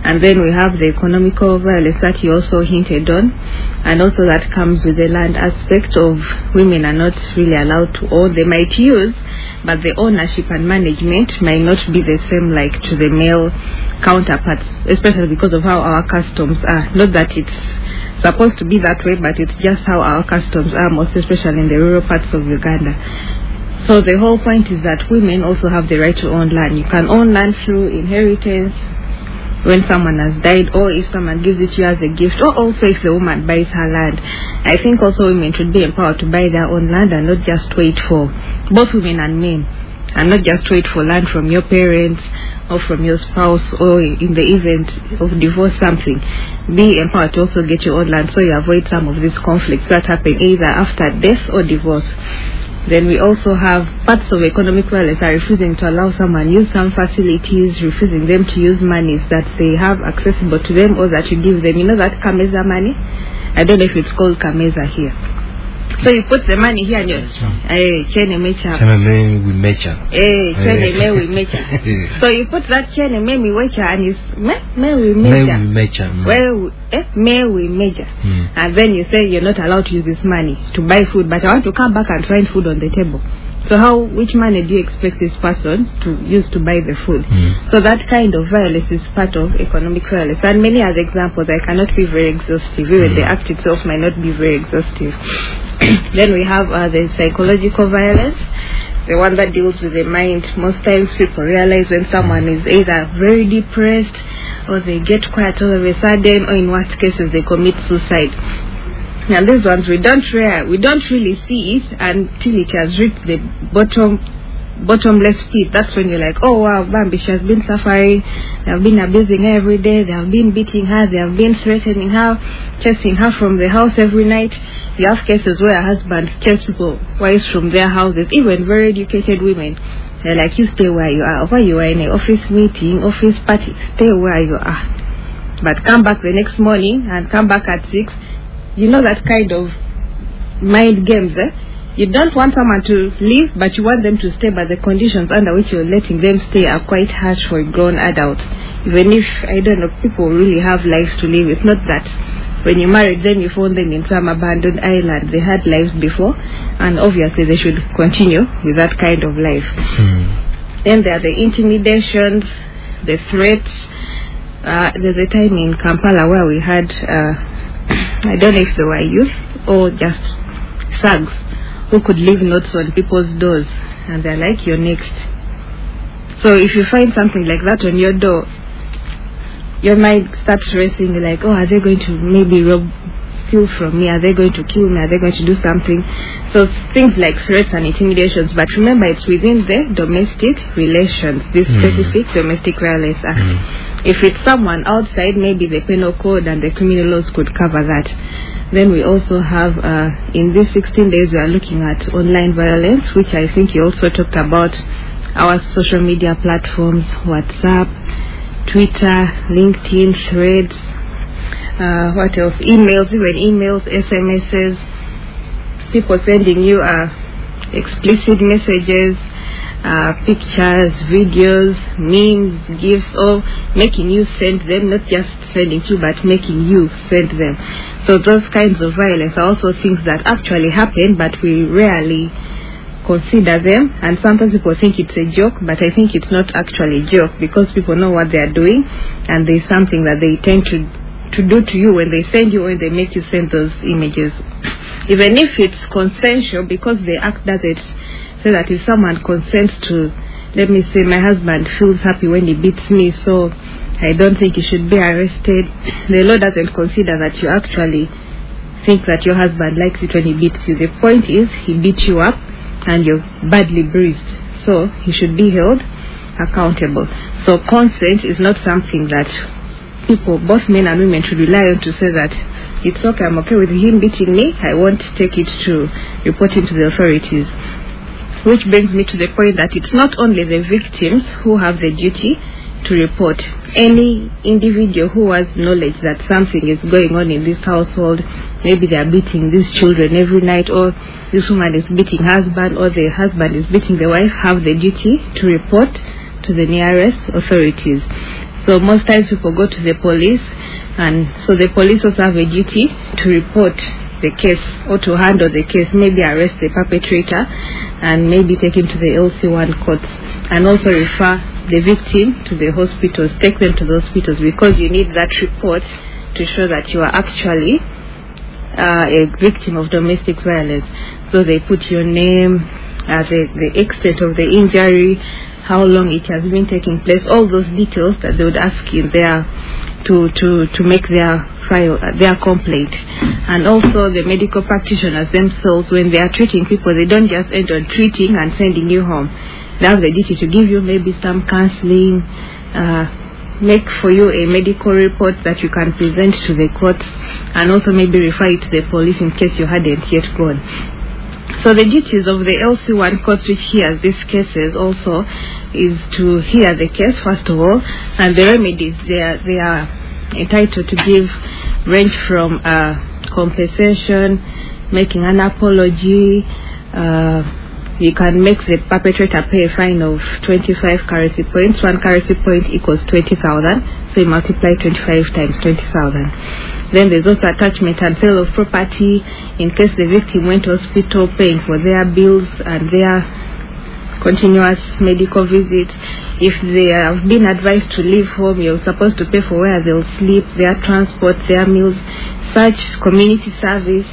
and then we have the economical violence that you also hinted on, and also that comes with the land aspect of women are not really allowed to own. They might use, but the ownership and management might not be the same like to the male counterparts, especially because of how our customs are. Not that it's supposed to be that way, but it's just how our customs are, most especially in the rural parts of Uganda. So the whole point is that women also have the right to own land. You can own land through inheritance, when someone has died, or if someone gives it to you as a gift, or also if the woman buys her land. I think also women should be empowered to buy their own land and not just wait for, both women and men, and not just wait for land from your parents or from your spouse, or in the event of divorce something. Be empowered to also get your own land so you avoid some of these conflicts that happen either after death or divorce. Then we also have parts of economic violence are refusing to allow someone use some facilities, refusing them to use monies that they have accessible to them or that you give them. You know that Kameza money? I don't know if it's called Kameza here. So you put the money here and you eh chene mecha. Chene me we mecha. Eh chene me we mecha. So you put that chene me we mecha and you me me we mecha. Me we mecha. Well eh me we mecha. Mm. And then you say you're not allowed to use this money to buy food, but I want to come back and find food on the table. So how, which money do you expect this person to use to buy the food? Mm. So that kind of violence is part of economic violence. And many other examples, I cannot be very exhaustive. Even Mm. the act itself might not be very exhaustive. Then we have uh, the psychological violence, the one that deals with the mind. Most times people realize when someone is either very depressed or they get quiet all of a sudden, or in worst cases they commit suicide. Now these ones we don't rare, we don't really see it until it has reached the bottom bottomless pit. That's when you're like, oh wow, Bambi, she has been suffering, they have been abusing her every day, they have been beating her, they have been threatening her, chasing her from the house every night. You have cases where husbands chase people, wives from their houses, even very educated women. They're like, you stay where you are. Where you are in an office meeting, office party, stay where you are. But come back the next morning and come back at six. You know that kind of mind games, eh? You don't want someone to leave, but you want them to stay, but the conditions under which you're letting them stay are quite harsh for a grown adult. Even if, I don't know, people really have lives to live. It's not that when you married them, you found them in some abandoned island. They had lives before, and obviously they should continue with that kind of life. Mm. Then there are the intimidations, the threats. Uh, there's a time in Kampala where we had, uh, I don't know if they were youth or just thugs who could leave notes on people's doors, and they're like, you're next. So if you find something like that on your door, your mind starts racing, you're like, oh, are they going to maybe rob, steal from me? Are they going to kill me? Are they going to do something? So things like threats and intimidations. But remember, it's within the domestic relations, this Mm. specific Domestic Violence Act. Mm. If it's someone outside, maybe the penal code and the criminal laws could cover that. Then we also have, uh, in these sixteen days, we are looking at online violence, which I think you also talked about, our social media platforms, WhatsApp, Twitter, LinkedIn, Threads, uh, what else? Emails, even emails, S M Ss, people sending you uh, explicit messages, uh, pictures, videos, memes, gifs, all making you send them, not just sending to you, but making you send them. So those kinds of violence are also things that actually happen, but we rarely consider them, and sometimes people think it's a joke, but I think it's not actually a joke, because people know what they are doing, and there's something that they tend to to do to you when they send you, when they make you send those images. Even if it's consensual, because the act doesn't say that if someone consents to, let me say, my husband feels happy when he beats me, so I don't think he should be arrested. The law doesn't consider that you actually think that your husband likes it when he beats you. The point is, he beat you up and you're badly bruised, so he should be held accountable. So consent is not something that people, both men and women, should rely on to say that it's okay, I'm okay with him beating me, I won't take it to report him to the authorities. Which brings me to the point that it's not only the victims who have the duty to report. Any individual who has knowledge that something is going on in this household, maybe they are beating these children every night, or this woman is beating husband, or the husband is beating the wife, have the duty to report to the nearest authorities. So most times people go to the police, and so the police also have a duty to report the case or to handle the case, maybe arrest the perpetrator and maybe take him to the L C one courts, and also refer the victim to the hospitals, take them to the hospitals, because you need that report to show that you are actually, uh, a victim of domestic violence. So they put your name, uh, the, the extent of the injury, how long it has been taking place, all those details that they would ask in their to, to, to make their file, uh, their complaint. And also the medical practitioners themselves, when they are treating people, they don't just end on treating and sending you home. They have the duty to give you maybe some counseling, uh, make for you a medical report that you can present to the courts, and also maybe refer it to the police in case you hadn't yet gone. So the duties of the L C one courts, which hears these cases also, is to hear the case first of all, and the remedies they are, they are entitled to give range from, uh, compensation, making an apology. Uh, you can make the perpetrator pay a fine of twenty-five currency points. One currency point equals twenty thousand. So you multiply twenty-five times twenty thousand. Then there's also attachment and sale of property in case the victim went to hospital, paying for their bills and their continuous medical visits. If they have been advised to leave home, you're supposed to pay for where they'll sleep, their transport, their meals, such community service,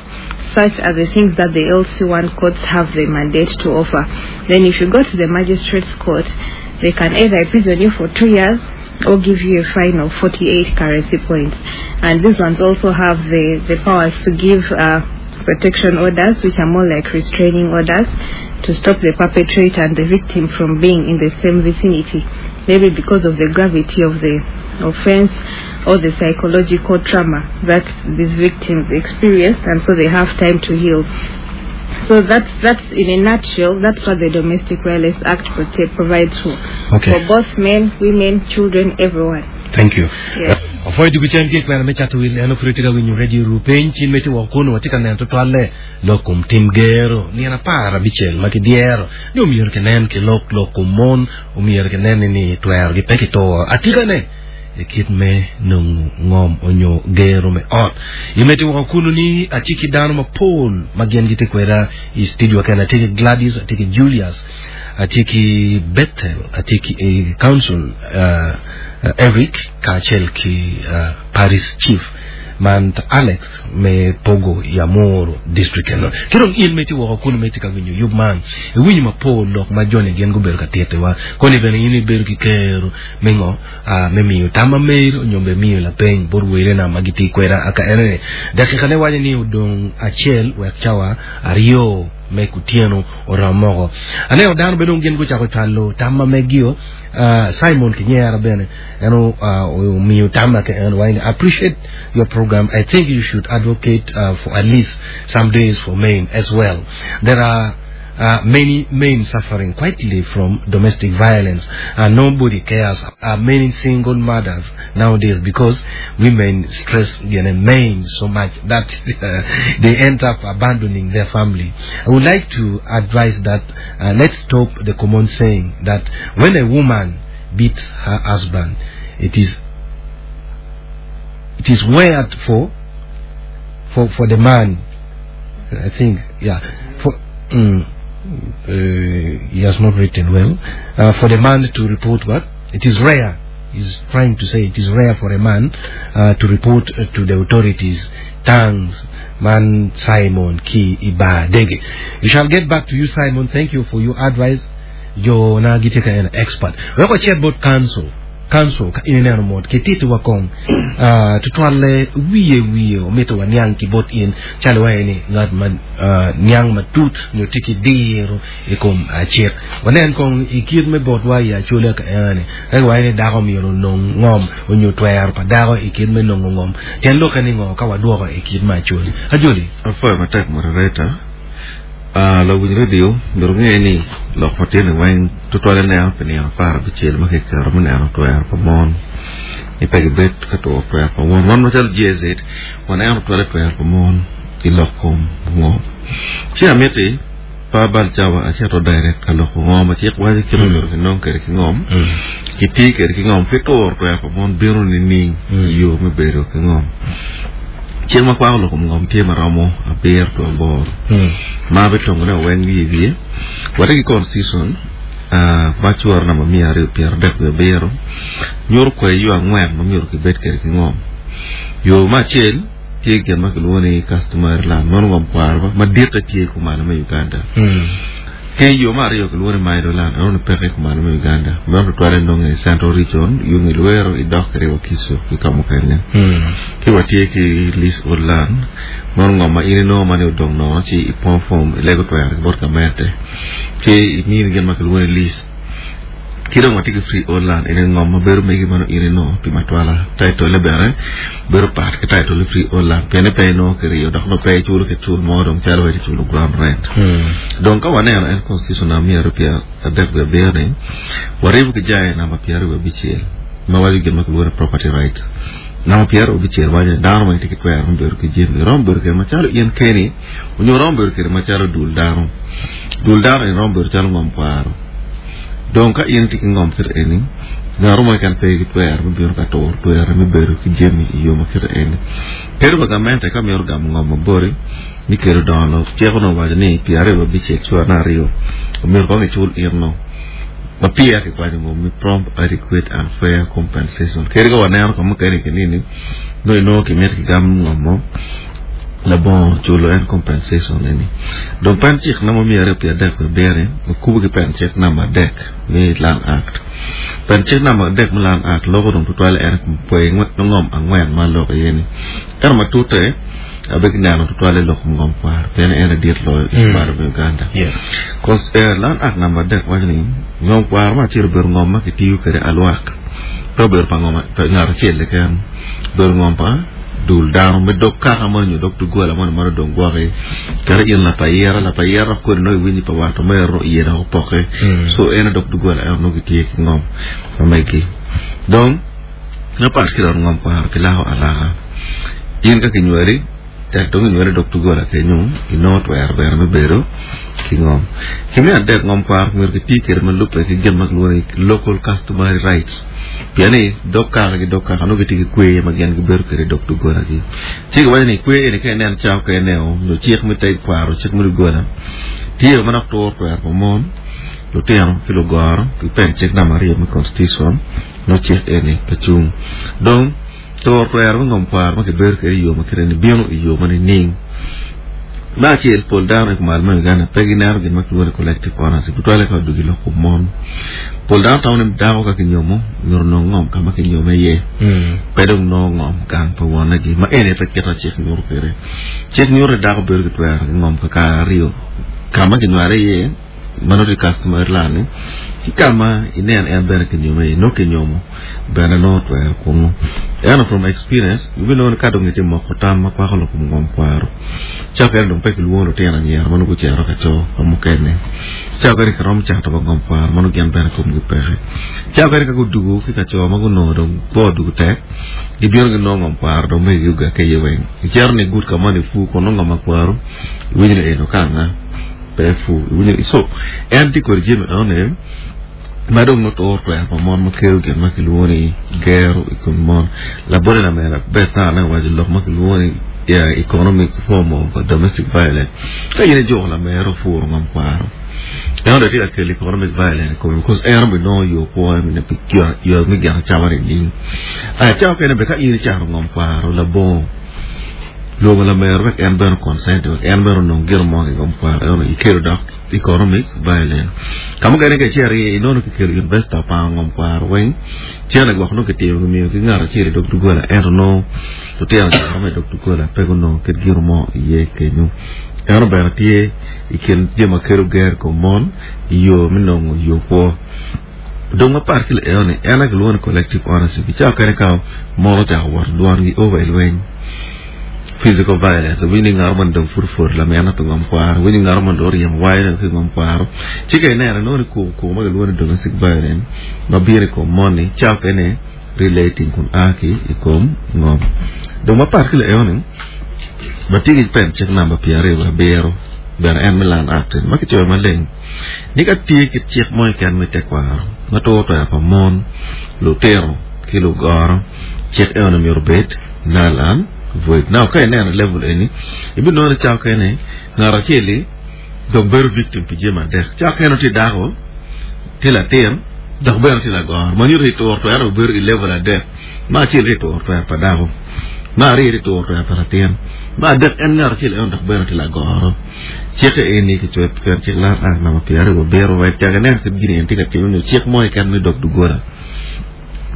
such are the things that the L C one courts have the mandate to offer. Then if you go to the magistrate's court, they can either imprison you for two years or give you a fine of forty-eight currency points. And these ones also have the, the powers to give uh, protection orders, which are more like restraining orders, to stop the perpetrator and the victim from being in the same vicinity, maybe because of the gravity of the offense or the psychological trauma that these victims experienced, and so they have time to heal. So that's, that's in a nutshell, that's what the Domestic Violence Act prote-, provides for, Okay. for both men, women, children, everyone. Thank you. Yes. Afoy dugu chen ke kwena me chatu wil eno fruti ga winyu radio rupen chin me ti wakono watika nen to twale lokum tim gero ni ana para bichel ma ki diero ni umier ke nen ke lok lokum mon umier ke nen ni twer gi peki to atika ne e kit me nung ngom onyo gero me ot imeti wakono ni achiki dano ma Paul magien gi te kwera i studio kana tiki Gladys atiki Julius atiki Bethel atiki e council uh, Uh, Eric Kachel ki uh, Paris Chief man Alex me Pogo ya Moro district eno kiro in meti woko kuno meti ka winyo yub man e winyo ma po lok ma jone gen go beru ka tete wa koni bene ini beru ki kero mingo uh, me miyo tama meir nyombe miyo la peny bor wele na magiti kwera aka ene dakika ne wanye ni udong achiel wek chawa ariyo me kutieno oramogo ane odano bedo gen go chako chalo tama megio uh, Simon Kinyera bene eno uh, miyo tama ke eno wine appreciate your program. I think you should advocate uh, for at least some days for men as well. There are Uh, many men suffering quietly from domestic violence, and nobody cares. Uh, many single mothers nowadays, because women stress you know, men so much that uh, they end up abandoning their family. I would like to advise that uh, let's stop the common saying that when a woman beats her husband, it is it is weird for for for the man. I think yeah for. Mm, Uh, he has not written well. Uh, for the man to report what? It is rare. He's trying to say it is rare for a man uh, to report uh, to the authorities. Thanks, man Simon Ki Ibadege. We shall get back to you, Simon. Thank you for your advice. Jo na giteka an expert. Weko chatbot council. Council ka inene mod ketiti wakong uh, tutwale wiye wiye ometo wa niang ki bot in chale wa ni ngat man uh, niang matut nyo tiki diro ikom achir wanen kong ikir me bot wa ya chule ka ene e wa ni dako mi ro nong ngom onyo twer pa dako ikir me nong ngom ten lo kani ngo ka waduoko ikir ma chule ajoli afoy matek moderator. Ah, la win radio ndoro ngeni lok matene wen tutwale ne apeni apar bichel ma kekero mene ano twer pa mon ni pegi bet ka to twer pa mon wan machal G Z wan ano twere twer pa mon i lok kom ngo chi amiti pa bal chawa acheto direct ka lok ngo ma chik waji kiro ndoro ki nong kere ki ngom ki ti kere ki ngom fi tor twer pa mon biro ni ning yo me bedo ki ngom chieng' ma kwako lok ngom tye maromo abiro to aboro ma be tongo ne oweng wiye wiye wate gi constitution ma chwor namba mia ariyo piero adek gi abiro nyoro kwe yo ang'wen ma myero kibed kede ki ngom yo ma achiel tye gin ma kiluongo ni customary land mano ngom kwaro madite tye kumalo me Uganda ke yo ma ariyo kiluongo ni Maido land ano ni peke kumalo me Uganda mano twale nonge i Central Region yung Luero idok kede Wakiso ki kamukene ki watie ki leasehold land mano ngom ma in inongo mane odong nono ci ipong form ilego twero ki bot gamente ci imini gin ma kiluongo ni lease ki dong watye ki freehold land ene ngom ma bedo megi mano in inongo pi matwala title le bene bedo pat ki title le freehold land piene pe inongo kiriyo dok no pe iculo ki cul mo dong calo weci culo ground rent dong ka waneno en constitution na mia ariyo piero adek wiye abiro ni waribo ki jaye namba piero ariyo wiye abicel ma waco gin ma kiluongo ni property rights Namba pyeraryo abicel waco ni dano ma tye ki twero me bedo ki jami romo bedo kede macalo in keni onyo romo bedo kede macalo dul dano dul dano eni romo bedo calo ngom kwaro dong ka in itye ki ngom kite eni ngat mo keken pe ki twero me bino ka turo twero me bedo ki jami i yo ma kite eni kadi wa gamente ka mito gamo ngom mabori mi kelo dongo lok cik onongo waco ni pyeraryo abicel cwalo aryo omyero kong icul in no ma peya kikwanyo ngom mi prompt adequate and fair compensation kadi ka waneno ka mukene kinini nongo inongo kimito kigam ngom mo labongo culo en compensation eni dong pen cik namba miya aryo piero adek wiye abiro okubo ki pen cik namba adek me Land Act pen cik namba adek me Land Act loko dong tutwal en kwe ngom angwen ma loko iye ni ento matute abe kineno tutwal i lok ngom kwaro pien en adit loyo i kwaro me Uganda Yes. Cause eh, Land Act namba adek waco ni ngom kwaro ma acel obedo ngom ma kitiyo kwede alwak pe obedo pa ngom pa ngat acel keken obedo ngom pa dul dano me dog kaka moni nyo dog dugola moni ma dong gwoki kadi in lapayira lapayira dok kodi nongo iwinyo pa wat omero iye dok opoke Mm. so en dog dugola en nongo gitye ki ngom ma megi dong mapat ki dok ngom kwaro kilako alaka in ka kinywali tek dong inywali dog dugola kenyo inongo twero bene me bedo ki ngom ki me adek ngom kwaro myero kiti kwede ma lubbe ki gin ma kilwongo ni local customary rights pien ni dog kaka ki dog kaka nongo gitye ki kwer ma gin gibedo kwede i dog dogolagi ci giwaco ni kwer eni ka inen cawa okene nyo cik me te kwaro cik me dogola tye ma dok turo twero pa mon lutino ki lugoro ki pen cik namba aryo me constitution no cik eni pe cung dong turo twero me ngom kwaro ma kibedo kwede i yo ma kite ni bino i yo ma nining me acel pol dano i kumalo me Uganda pe gineno gin ma kilwongo ni collective ownership tutwale ka odugi lok kom mon pol dano tamo ni dako ka kinyomo myero onong ngom ka ma kinyome iye pe dong nongo ngom gang pa wonegi ma eni pe kita cik nyuto kwede cik nyuto ni dako bedo ki twero ki ngom kakare aryo ka ma kinywale iye ma nongo tye customary land ni ki ka ma inen en bene kinyome iye nongo kinyomo bene nongo twero kunu ento from experience ibinongo ni ka dong itye moko tam ma kwako lok kom ngom kwaro ca okene dong pe kilwongo lutino anyira ma nongo gucito ka co ka mukene ca okene kiromo cato ba ngom kwaro ma nongo gin bene komgi peke ca okene ka gudugo ki ka co ma gunongo dong kwo odugo tek gibino ginongo ngom kwaro dong megi ogake iye weng icito ni gut ka mo ni fu kun nongo ngom akwaro iwinyo ni eno kanga pe fu iwinyo ni so en tye kodi jami enoni ma dong nongo turo twero pa mon ma kelo gin ma kilwongo ni gero i kom mon labole lamera bet ne owaco lok ma kilwongo ni yeah, economic form of domestic violence ka in ijuko lamero puro ngom kwaro en dong tye ka kelo economic violence i kome because en obinongo yo kwo yo me gin acama nining aya ca okene be ka in icato ngom kwaro labongo lwongo lamero wek en bene consent wek en bene onong gino mo ki ngom kwaro eno ikelo dok economic violence ka mukene ka icito iye inongo kikelo investor opango ngom kwaro weng cene gwok nongo kitimo gimiyo ki ngat acel i dog dogola ento nongo lutino anyira ma i dog dogola pe gunongo kit gino mo iye kenyo eno bene tye i kin jami ma kelo ger i kom mon i yo me nongo yo kwo dong mapat ki eno ni en aye kilwongo ni collective ownership ca okene ka mon ocako wot dwangi over i lweny physical violence winyo ni ngat mo dong pud pud lamina pi ngom kwaro winyo ngat mo dong oryemo wayo ki ngom kwaro ci ka ineno inongo ni kuku kuku ma kilwongo ni domestic violence ma bino i kom mon-ni ca okene relating kun a ki i kom ngom dong mapat ki eno ni watye ki pen cik namba pyeraryo wiye abiro bene en me Land Act ma kicoyo maleng ni ka tye ki cik mo keken me tekwaro ma turo twero pa mon lutino ki lugoro cik eno myero obed null and void now ka ineno level eni ibinongo ni ca okene ngat acel-li dong bedo victim pi jami adek ca okene tye dako tye latin dok bene tye lagoro ma nyuto ni turo twero obedo i level adek ma acel tye turo twero pa dako ma aryo tye turo twero pa latin ma adek en ngat acel eno dok bene tye lagoro cike eni kicoyo pen cik Land Act namba pyeraryo abiro wek cak inen kit gini en tye ka timo nyo cik mo keken me dog dogola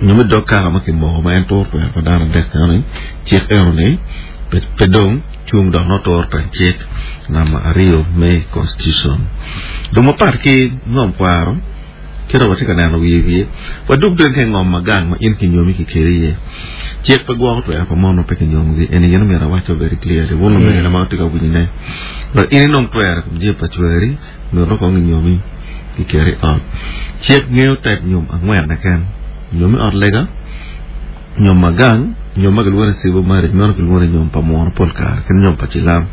nyo me dog kaka ma kimoko ma en turo twero pa dano adek eno cik eno ni pe dong cung dok nongo turo pen cik namba aryo me constitution dong mapat ki ngom kwaro kit watye ka neno wiye wiye wadug dong ka i ngom ma gang ma in kinyomi kikeli iye cik pe gwoko twero pa mon ma pe kinyomogi eni gin omyero awaco very clearly wun omegina ma watye ka winyone but in inong twero kom jami pa cweri myero kong inyomi kiketi i ot cik ngeyo type nyom angwen keken nyom i ot lega nyom ma gang Nyom ma kilwongo ni civil marriage meno kilwongo ni nyom pa muno pol kare ki nyom pa cilam.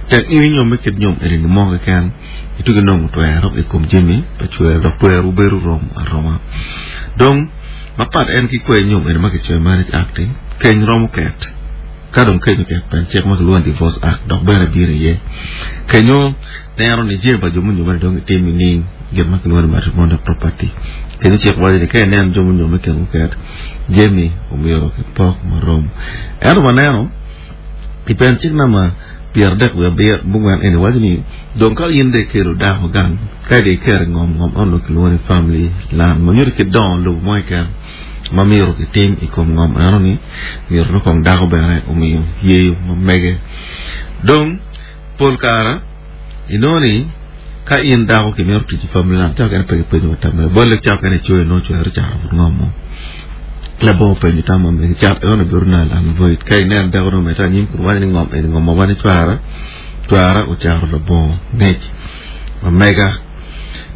Tek in inyomme kit nyom eni mo keken itye ki nongo twero i kom jami pa cwero dok twero bedo rom aroma. Dong mapat en ki kwe nyom eni ma kicoyo Marriage Act keny romo ket ka dong keny oket pen cik ma kilwongo ni Divorce Act dok bene bino iye. Kenyo neno ni jami pa jo munyomme dong itim nining gin ma kilwongo ni matrimonial property. Kenyo cik waco ni ka ineno jo munyomme kin oket jami omyero kipok marom. Ento waneno i pen cik namba pyera adek wiye abiro bungwen eni waco ni dong ka in dong ikelo dako gang ka dong iketo i ngom ngom eno kilwongo ni family land ma nyuto kit dongo lobo mo keken ma myero kitim i kom ngom eno ni myero nongo kong dako bene omiyo yeyo ma mege. Dong pol kare inongo ni ka in dako kimito tic i family land cako kene pe kipenyo wa tamme bolle cako kene icoyo nongo cwero cato but ngom mo labongo penyo tam ma megi cat eno bedo null and void ka ineno dako nongo omedde anyim kun waco ni ngom eni ngom ma wan icwara cwara ocato labongo ngec ma mega.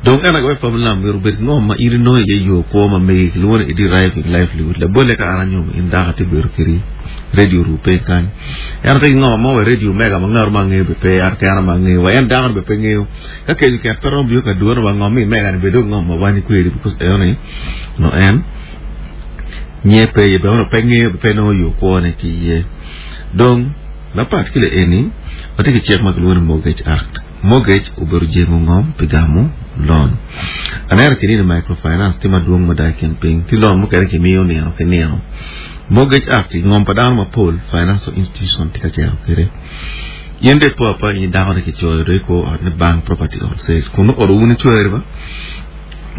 Dong en aye family land myero obed ngom ma in inongo iye yo kwo ma megi kilwongo ni deriving livelihood labolle ka an anyomo in dako atye bedo kedi radio ru piny kany en ate ki ngom mo wa radio mega ma ngato ma angeyo be pe an kena ma angeyo wa en dako ni be pe ngeyo ka kenyo ket pe romo bino ka dwono wa ngom mi mega ni bedo ngom ma wan ikwedi because eno ni no en nye pe iye be pe ngeyo be pe nongo yo kwo ne ki iye. Dong mapat ki le eni watye ki cik ma kilwongo ni Mortgage Act. Mortgage obedo jengo ngom pi gamo loan. Aneno kini ni microfinance tye madwong mada i kin piny ki loan mukene kimiyo nino ki nino. Mortgage Act ngom pa dano mapol financial institution tye ka cero kwede. In dong ipo apa in dako ni kicoyo dong ikwo ot ni bank property on sale kun nongo ot wun icweri ba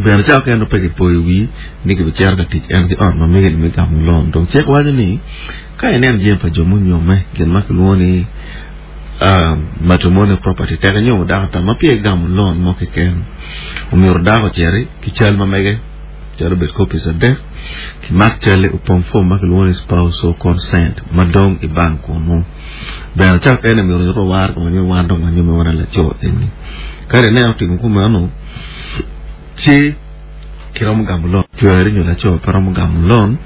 bene cako kene pe kipoyo wi ni kibicito ka tic en ki ot ma mege ni me gamo loan. Dong cik waco ni ka ineno jami pa jo munyomme gin ma kilwongo ni uh, matrimonial property tek inyomo dako tam ma peya igamo loan mo keken omyero dako ociti ki cal ma mege calo obed copies adek kimak calle opong form ma kilwongo ni spousal consent ma dong i bank kunu bene cako ene myero nyuto war koma nyo wan dong wanyomme wan laco eni ka ineno timo kumeno ci kiromo gamo loan cweri nyo laco pe romo gamo loan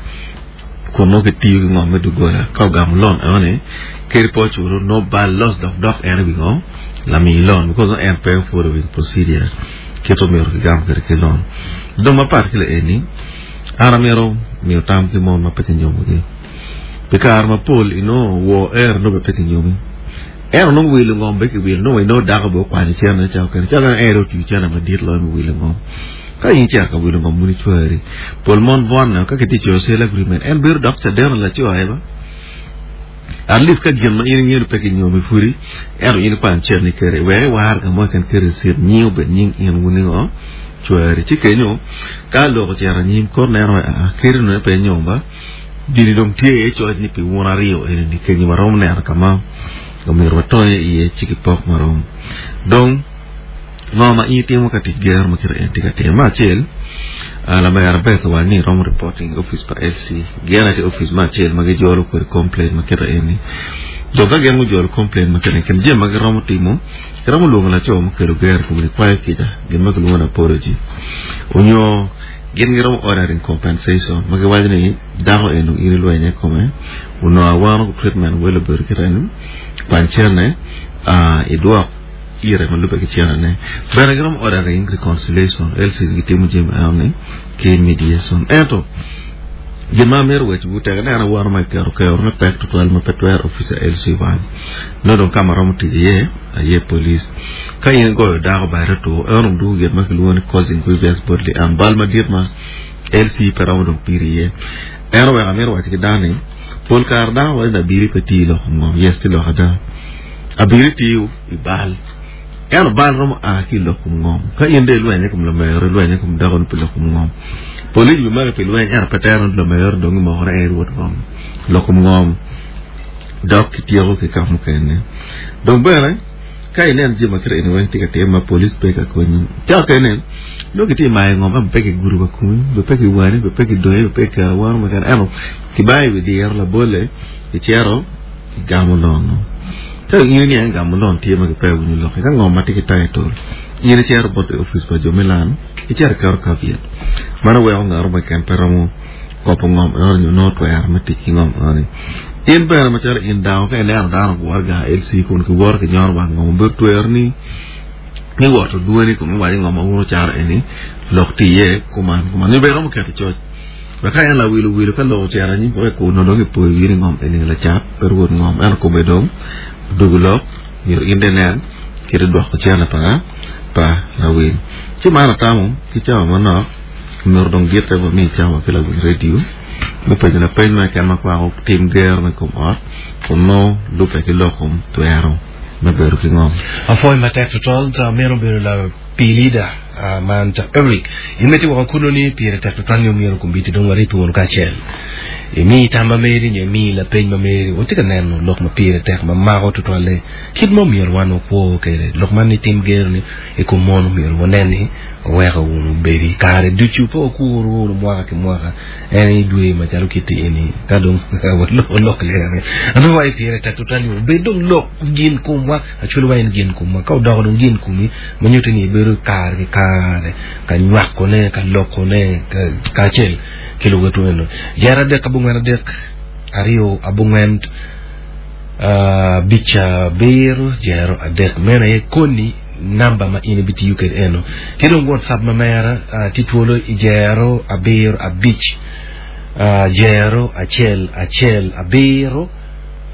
kun nongo kitiyo ki ngom me doggola ka ogamo loan eno ni kadi pe oculo no bal loss dok dok en i wi ngo lami loan because en pe following procedure kit omyero kigam kwede ki loan. Dong mapat ki le eni an amito miyo tam ki mon ma pe kinyomogi pi kare mapol inongo wo ero nongo be pe kinyomi ento nongo wilo ngom be kiwilo nongo inongo dako be okwanyo cene cako kene cako kene en otiyo cene madit loyo me wilo ngom ka in icito ka wilo ngom wun icweri pol mon bwonne ka kitye coyo sale agreement en bedo dok caden laco aye ba at least ka gin ma in ingeyo ni pe kinyomi pudi ento in ikwanyo cene kede wek iwar ka mo keken kede receipt nying obed nying in wun ningo cweri ci kenyo ka lok ocito anyim kor neno a kedi nongo pe nyom ba gini dong tye iye coc ni pi wun aryo eni ni kenyo waromo neno ka ma omyero watonye iye ci kipok marom. Dong ngo ma in itimo ka tic gero ma kite en tye ka timo me acel lamera Beth owaco ni romo reporting i office pa L C gin aye tye office me acel ma gijolo kwede complaint ma kite eni dong ka gin gujolo complaint ma kite eni kin jami ma giromo timo giromo lwongo laco mukelo gero i kome ni kwayo kica gin ma kilwongo ni apology onyo gin giromo ordering compensation ma giwaco ni dako eni in ilwenye i kome onongo awano treatment wel obedo kite eni kwany cene idwok ire ma lubbe ki cenene bene giromo ordering reconciliation L Cs gitimo jami eno ni ki mediation ento gin ma amito wecowu tek ineno awano ma kiketo kero me pek tutwal ma pe twero officer L C one nongo dong ka ma romo tic iye aye police ka in igoyo dako bade otur eno dong dugo gin ma kilwongo ni causing grievous bodily harm bal madit ma L C pe romo dong piri iye ento wek amito waco ki dano ni pol kare dako waco ni abiri pe tiyo lok ngom yes ti lok ada abiri tiyo i bal ento bal romo a ki i lok kom ngom ka in dong ilwenye kom lamero ilwenye kom dako ni pi lok kom ngom police bi maki pi lweny ento pe tero ni lamero dong imoko ni en rwot ngom lok kom ngom dok kityeko ki ka mukene dong bene ka ineno jami ma kite eni weng tye ka time ma police pe ka konyi cako kene nongo kitye mayo ngom ento pe kigudo wa komi be pe kiwani be pe kidoyi be pe kiketo awano mukene ento kibayo i wi diro labole kicito kigamo loan ka in iniang gamo loan tye ma kipe winyo lokke ka ngom ma tye ki title in icito bot i office pa jo me land icito iketo caveat mano weko ngato mo keken pe romo kopo ngom eno ni no twer me tic ki ngom eno ni in bene macalo in dano ka ineno dano gwor ga L C kun ki wor ki nyono wang ngom obedo twer ni mi woto dweni kun iwaco ngom ma wun wucaro eni lok tye iye kuman kuman ni bene romo keto coc wek ka en lawilo wilo ka lok ocito anyim wek kun dong ipoyo wii ni ngom eni lacat pe rwod ngom ento kome dong odugo lok myero in dong inen kit idwoko cene pa pa lawil ci man atamo ki cawa manok myero dong gite wa mi cawa ki lawil radio me penyo lapeny ma keken ma kwako tim gero me kom ot kun nongo lube ki lok kom twero me bedo ki ngom. Apwoyo matek tutwal ta meno obedo la pi leader uh, man ta Eric in meti woko kuno ni pire tek tutwal ni omyero kombiti dong warip wunu kacel imi tam ma meri nyo imi lapeny ma meri watye ka neno lok ma pire tek ma mako tutwalle kit ma omyero wan wakwo kede lok man ni tim gero ni i kom mon omyero wanen ni oweko wunu bedi kare ducu pe wakuru wunu mwaka ki mwaka en idwe macalo kiti eni ka dong waloko lok lere ano wa pire tek tutwal ni obed dong lok gin komwa acwalo wa en gin komwa ka odoko dong gin komi ma nyuto ni ibedo kare ki kare ka nywakone ka lokone kacel ki luwetu eno jero adek abongwen adek aryo abongwen abic abiro jero adek meno aye koni namba ma in ibitiyo kede eno ki dong whatsapp ma mera uh, tye twolo i jero abiro abic uh, jero acel acel abiro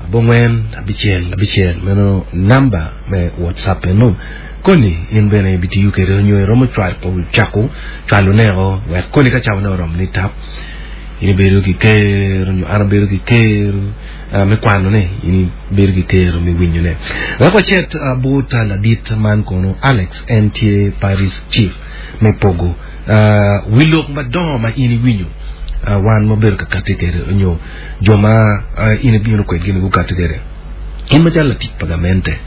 abongwen abicel abicel meno namba me whatsapp eno koni in bene ibitiyo kede nyo iromo cwalo cako cwalo neko wek koni ka cawa ne oromo ni tap in ibedo ki kero nyo an abedo ki kero uh, me kwano ne in ibedo ki kero me winyo ne wek wacit uh, but uh, ladit man kono Alex en tye parish chief me Pogo uh, wi lok madongo ma in iwinyo uh, wan mabedo ka kati kede nyo jo ma uh, in ibino kwedgi ni gukati kede in macalo latic pa gamente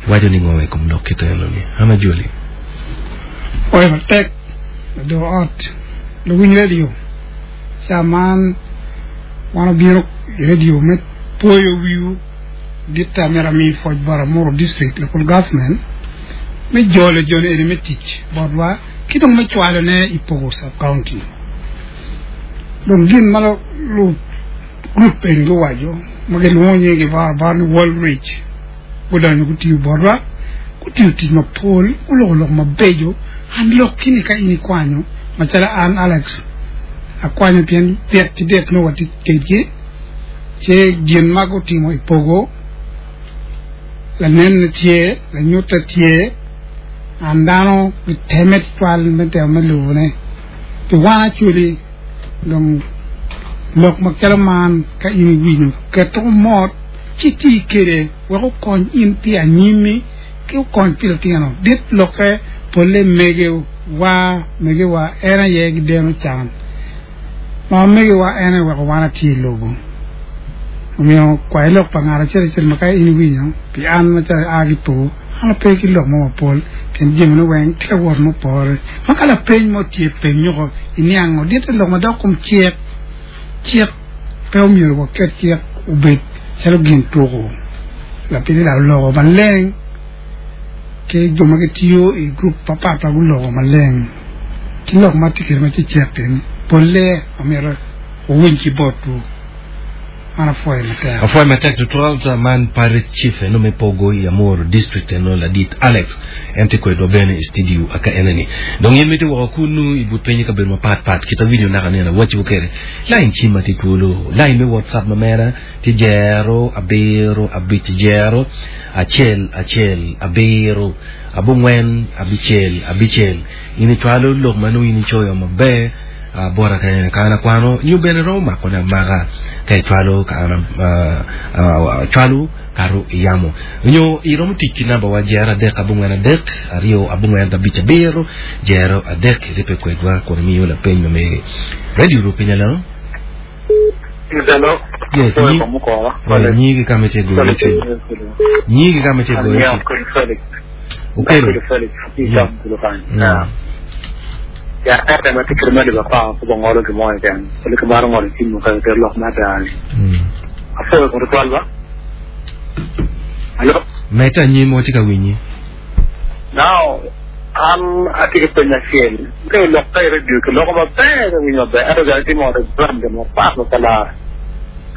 iwaco ni ngo i kom lok kit eno ni ana joli Oyo matek do ot luwiny radio caman wan obino i radio me poyo wiu ditta myero ami pwoc bot Amuru district local government me jolo joni eni me tic botwa ki dong me cwalone i Pogo sub county dong gin ma lu group eni guwaco ma gilwongo nyingi bar bar ni World Reach gudonyo gutiyo botwa gutiyo tic mapol guloko lok mabeco an lok kini ka in ikwanyo macalo an Alex akwanyo pien dit ki dit nongo watye kedgi ce gin ma gutimo i Pogo lanenne tye lanyutte tye an dano giteme tutwal me temo me lubone pi wan actually dong lok macalo man ka in iwinyo keto mot ci tii kede wek okony in pi anyimi ki okony pi lutino dit lokke polle mege wa mege wa en aye gideno can ma mege wa en aye weko wan atye i lobo omiyo kwai lok pa ngat acel acel ma ka in iwinyo pi an macalo aa ki Pogo an ape ki lok mo mapol pien jamine weng tye ka wot mupore ma ka lapeny mo tye peny nyoko iniango ditte lok madok kom cik cik pe omyero waket cik obed calo gin tuko lapiny la oloko maleng ki jo ma gitiyo i group papat guloko maleng ki lok ma tye kede ma tye cek eni polle omyero owiny ki botwu an apwoyo matek apwoyo matek tutwal man parish chief eno me Pogo i Amuru district eno ladit Alex en tye kwedwa bene i studio aka eneni dong in miti woko kunu i but piny i kabedo mapatpat kita winyo naka nena wacibo kede line cim tye twolo line me whatsapp ma mera tye jero abiro abic jero acel acel abiro abongwen abicel abicel in icwalo lok ma nongo in icoyo maber uh, bota ka ka an akwano nyo bene romo makone amaka ka icwalo ka an uh, uh, cwalo kato iyamo nyo iromo tic ki namba wa jero adek abongwen adek aryo abongwen abic abiro jero adek iripe kwedwa kun imiyo lapeny ma meri radio Rupiny hello Hello. Yes, Sorry, nyi- Mukora. Eh, nyigi kama itye goyo ci nyigi kama itye goyo ci Okelo. Felix. Yeah. Mm. Ya, ata ma tikir ma diba kwa ko bongolo ki mo ken. Ko ke baro ngolo ti mo ka ke lok ma ta ni. Mm. Afo ko twal ba. Hello. Meta nyim watye ka winyi Now, An atye ki peny acel. Ka ilok ka i radio ki loko maber ka winyo maber ento joni timo program gin mapat ma pe lare.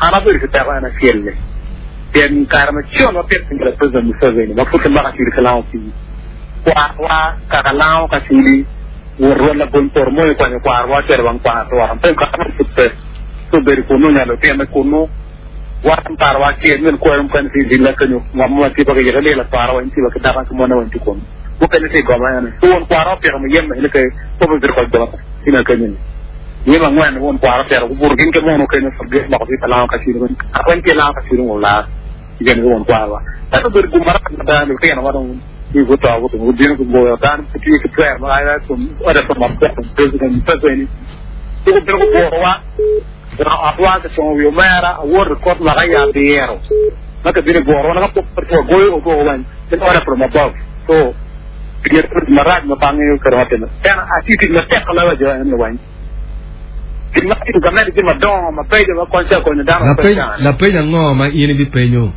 An abedo ki peko en acel-li. Pien kare macon ma pit piny la President Museveni ma pud kimako acudi ki lango pii. Kwarwa kaka lango ka acudi wot rwot labony poto mo ikwanyo kwarwa ocito wang kwang atura. Pe kare ma pud pe. Ci obedo kunu onyalo lutine kunu. Wan parwa acel min kwero mukene tye i villa kenyo ngom mo ma tye pa kiyiko ililo atwara weng tye wa ki dako ki mone weng tye kunu. Mukene tye i goma ene. Ci won kwara opito muyeme ene ke po pe bedo kod goma tina kenyo ni. Muyeme angwen won kwara opito gubuto gin ki mono kenyo forget loko tye ka lango ka cwiny weng. Kare weng tye lango ka cwiny wong lar gin ki won kwarwa. Ento obedo gum marac mada lutino ma dong wi guto guto gubino gugoyo dano pe tye ki twer ma ai from order from above President Museveni. Ci gubino guburowa otwa kitongo wi omera awoto i kot mwaka ya abiro ma kibino i bworo wan ka pok pe wagoyo odwogo weng in order from above so gin marac ma pe angeyo kede ma time en atye tic matek loyo jo en weng gin ma timo gamente jami madongo mabeco ma kony ca konyo dano ma pe Lapeny cane lapeny ango ma in ibipenyo?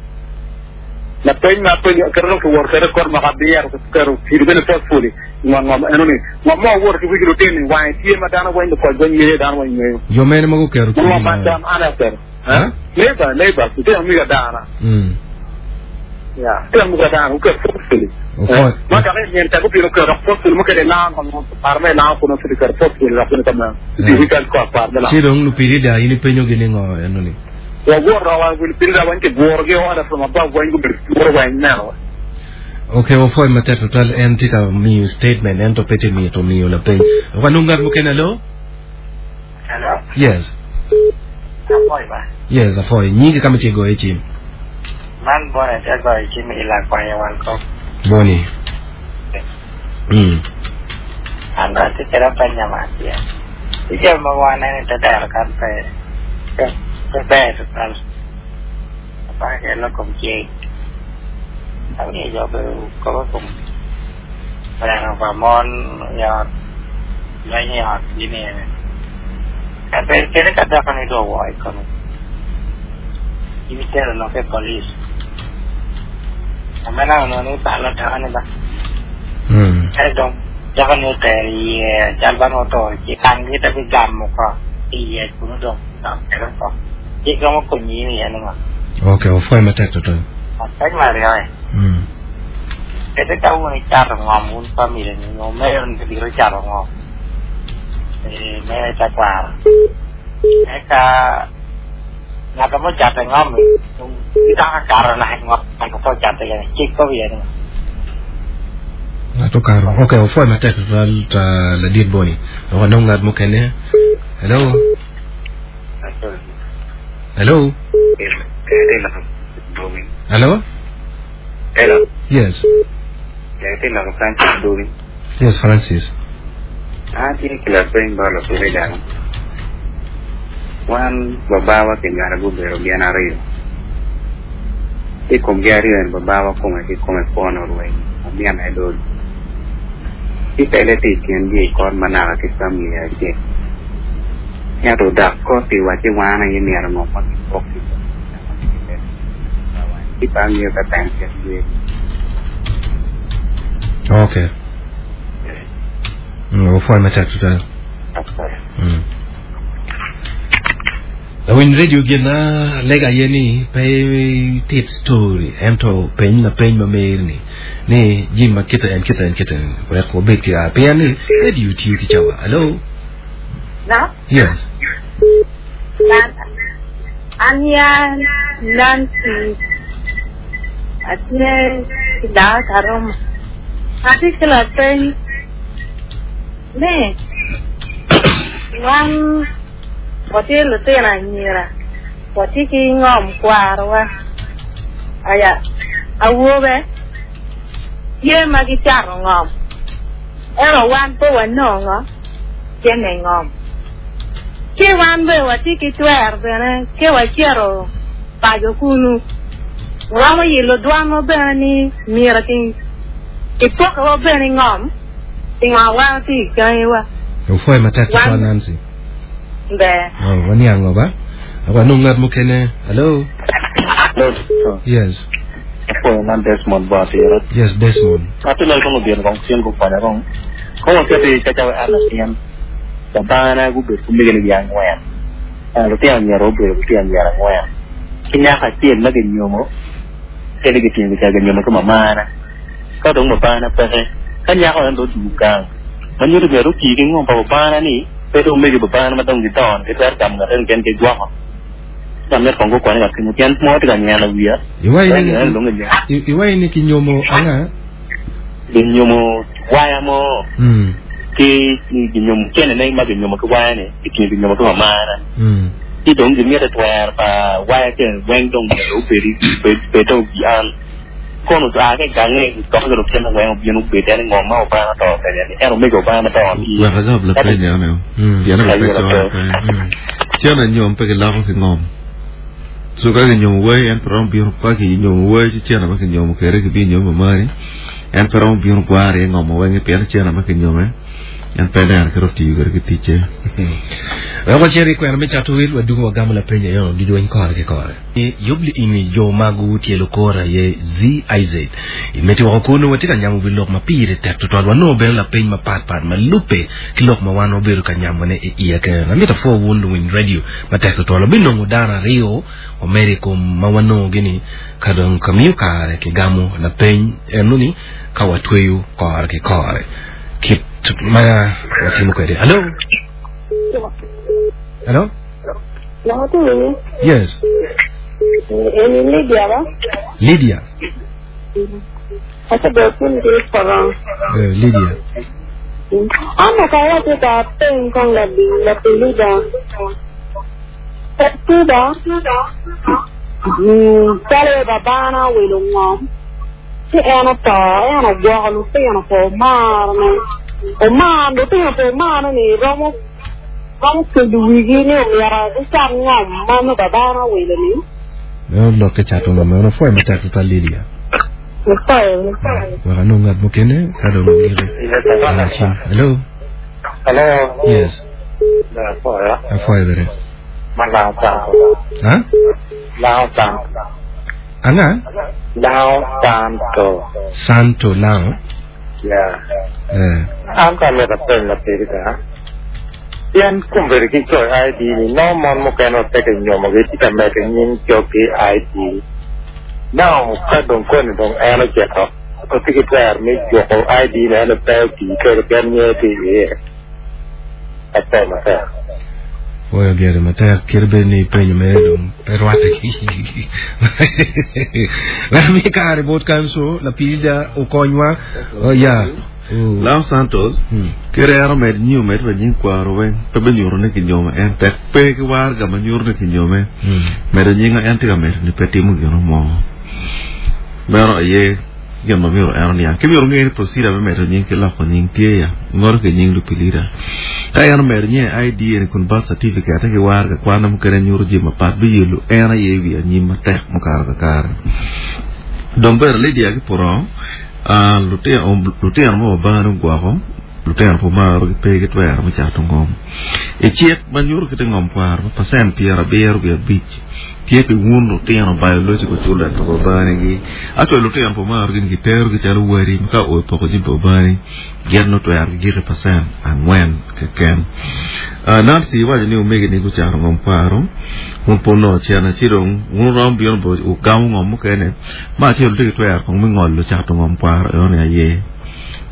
Lapeny ma apenyo kite dong kiwoto kwede i kot mwaka abiro kiketo pido bene forcefully i ngom ngom eno ni ngom mo owoto ki wigi lutini wange tye ma dano weng lukoc weng ngeyo dano weng ngeyo Jo mene ma guketo ma kidi ngom ma ma dano an aye aketo Ha? neighbor neighbor lutino miga adana Mm. ya lutino miga adana guketo forcefully Opwoc. ma dok i nyen tek gubino keto dok forcefully mukene ilango ngom par ma ilango kuno ci giketo forcefully dok bene kameno Eh. i kal ko par me lango Ci dong lupirida in ipenyogi ni ngo eno ni? Wawuoto wa lupirida weng kiburogi order from above weng gubedo buro weng neno Okay, wapwoyo matek tutwal en tye ka miyo statement ento pe tye mito miyo lapeny. Wanong ngat mukene alo? Hello, Yes. apoy ba? Yes, apwoyo. Nyingi kama tye goyo cim. Man bone te goyo cim i lakwanya wan kop. Boni. Mm. An atye kede apenya ma atye. Ijami ma waneno i te dero kan pe pe pe ber tutwal. Apaka kede lok kom cik. Awinyo jo obedo kobo i kom twero pa mon i ot, lweny i ot gini ene. Ka pe kede ka dako ni dong owoo i kome, ibitero lok i police. Amena onongo ni balo dako ni ba. Mm. Ento dong dako ni otero iye cal ba nongo oto ci angi te bigamo ko iye kunu dong dok kede oko. Cik romo konyi in iye ni ngo? Okay, wapwoyo matek tutwal. Apeny ma aryo e. Mm. Kede ka wun icato ngom wun family ni nyo mero ni biro cato ngom. Eh, mere tekwaro. Eka ng'ato mocato e ngom ni gidok akato naka ngom ng'ato ko cato iye cik ko wiye ni ngo? Ng'ato karo. Okay, wapwoyo matek tutwal ta ladit Boni. Wanong ngat mukene. Hello. Hello. Hello. Hello. Yes. Francis Dubi. Yes, Francis. Atye ki lapeny ba lupirida. Wan babawa kinywalo gubedo gin aryo. I komgi aryo ni babawa kome ki kome pwono orweny omyene dol. Ci pele tye i kingi i kot manaka ki family acel. Ento dok kot iwacci wan aye myero ngom ma kipok ki ci pe angeyo ka pen kit tye. Okay. Mm, wapwoyo matek tutwal. Mm. Lawiny radio gin na lega aye ni pe tit story ento peny lapeny ma meri ni ni jim ma kite en kite en kite wek wabed ki a pien ni radio tiyo ki cawa. Hello. No? Yes. Nan, Anya Nancy atye ki dako Karuma. Atye ki lapeny ni wan watye lutino anyira watye ki ngom kwarwa aya awobe tye ma gicato ngom ento wan pe wanongo cene ngom ki wan be watye ki twer bene ke wacito paco kunu romo yilo dwanwa bene ni myero ki kipokowa bene ngom pingo wan tye i gangiwa Wapwoyo matek tutwal Wan- Nancy. be Oh, waniango ba? Wanong ngat mukene. Hello. Hello. Yes. Apo man Desmond Boatira. Yes, Desmond. Ati lol kong obino kong cien gukonya kong. Kong waketi cacawe an latin. Babana gubedo kumege ni gi angwen. Lutino anyira obedo lutino anyira angwen. Ki nyako acel ma ginyomo, kede gitingo gica ginyomo ki mamana. Ka dong babana peke, ka nyako en dong odugo gang. Ma nyuto myero otii ki ngom pa babana ni, pe dong omegi babana ma dong gidongo, gitwero gamo ngat en ken gigwoko. Ka myero kong gukonye ka kenyo, pien mo tye ka nyeno wiya. Iwai ni kinyomo anga? Ginyomo waya mo. Mm. Ki ginyomo kene ne ma ginyomo ki waya ni, gitingo ginyomo ki mamana. Mm. Ki dong gimito twer pa waya kene weng dong myero obedi, bed gi an. Kono a ke gange toko ki lutino weng obino obed en ngom ma obana to kenya ni en omego obana to ni. Wek agam la penyo ane. Pien Aye, pe coyo pe. Cen anyom pe giloko ki ngom. So ka ginyomo wai en pe romo bino ka ginyomo wai ci cen ma kinyomo kere gibi nyomo mamani en pe romo bino gwari ngom weng pien cen ma kinyome en pe neno kero tiyo kere ki ticce. Wek wacit i kwena me cato wil wadungo wagamo lapeny ayo gidweny kore ki kore. Yubli ini jo magu tielo kora ye Z I Z. Imeti wako kuno watye ka nyamo wi lok ma pire tek tutwal wanongo bene lapeny mapat pat ma lubbe ki lok ma wan wabedo ka nyamone i iye kene. Amito apwo wun luwiny radio matek tutwal. Wabinongo dano aryo omedo i kom ma wanongo gini ka dong ka miyo kare kigamo lapeny enoni ka watweyo kore ki kore. Kit ma watimo kwede. Hello? Hello? Yes. Eni Lydia ba? Lydia. Ate do kun di porong. Eh, Lydia. Ano ka wa te ka peng kong la bi la pelida. Tuba. Mm, tale babana welo ngom. Ti eno to, eno gwoko lutino po marne. O mar, lutino po marne ni romo romo kelo wigi ni omyero gicam ngom ma nongo babana welo ni. Meno lok ke cato ngom meno pwoyo matek tutwal Lydia. Pwoyo. Wek anong ngat mukene ka dong ogike. Hello? Hello. Yes. Apwoyo. Apwoyo bene. Ma Lao Santo. Ha? Lao Santo. Anga? Lao Santo. Santo Lao? Yeah. Eh. An ka mito penyo lapirida. Pien kumbedo ki coyo I D ni no mon mukene pe kinyomo gitye ka medo nying cog ki I D. Now ka dong koni dong en ocito otye ki twer me juko I D ne en pe otii kede pien nye tye iye. Ape matek. Pwoyo gere matek kit bed ni penyo mere dong pe rwatte ki. Wek mi kare bot kanso lapirida okonywa. Oh, yeah. Lao Santos, kere ero med nyiu med pa nying kwaro weng pe be nyuto ni kinyome en tek pe ki warga ma nyuto ni kinyome medo nyinga en tye ka medo ni pe timo gino mo. Meno aye gin ma myero en oniang. Ki myero ng'e ni procedure me medo nying ki loko nying tye ya ngoro ki nying lupilida. Ka en omedo nying I D eni kun birth certificate ki warga kwana mukene nyuto jami mapat biyelo en aye wi anyim matek mukato kakare. Dong bene Lydia ki Purong, ah, lutino, lutino ma babana ogwoko, lutino po maro gi pe ki twero me cato ngom. I cik ma nyuto kite ngom kwaro ma percent pyerabiro wiye abic tye pi wun lutino biological children pa babanigi. Actually lutino po maro gin gitero gi calo wadi ma ka oyo poko jami pa babani gin no twero gi gike percent angwen keken. Ah, Nancy waco ni omege ni gucato ngom kwaro un po no cena ci dong un rom bino bo ugamo ngom mukene ma acel tye ki twero kong me ngolo cato ngom kwaro eno ni aye.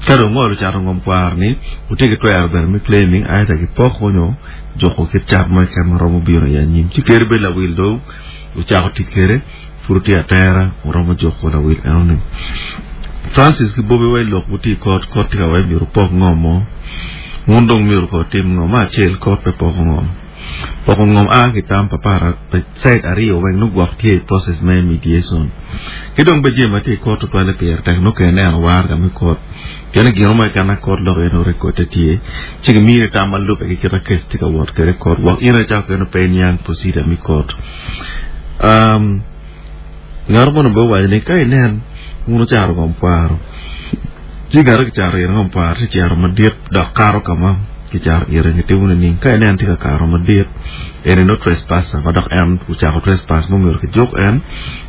Ka dong ngolo cato ngom kwaro ni otye ki twero bene me claiming aita ki poko nyo joko kit cat mo keken ma romo bino i anyim. Ci keri bed lawil dong ocako tic kede pud otye atera oromo joko lawil eno ni. Francis ki Bobby wai lok buti kot kot tye ka wai myero pok ngom mo. Un dong myero ko tim ngom ma acel kot pe poko ngom. Poko ngom a ki tam pa para pe side aryo weng no gwok tye i process me mediation. Ki dong be jami ma tye i kot tutwale pire tek no kene neno warga me kot. Kene gino mo keken kot lok eno record tye. Ci gimine tam ma lube ki kita case tye ka wot kede kot. Gwok in aye cako kene pe niang procedure me kot. Um, ngaro mono be owaco ni ka inen un ocaro ngom kwaro. Ci ngaro ki caro yen ngom kwaro ti cero madit dok karo ka ma Kicharo ire kitimo ni ka inen tye ka karo madit eni no trespasser ma dok en ocako trespass mumiro kijuk en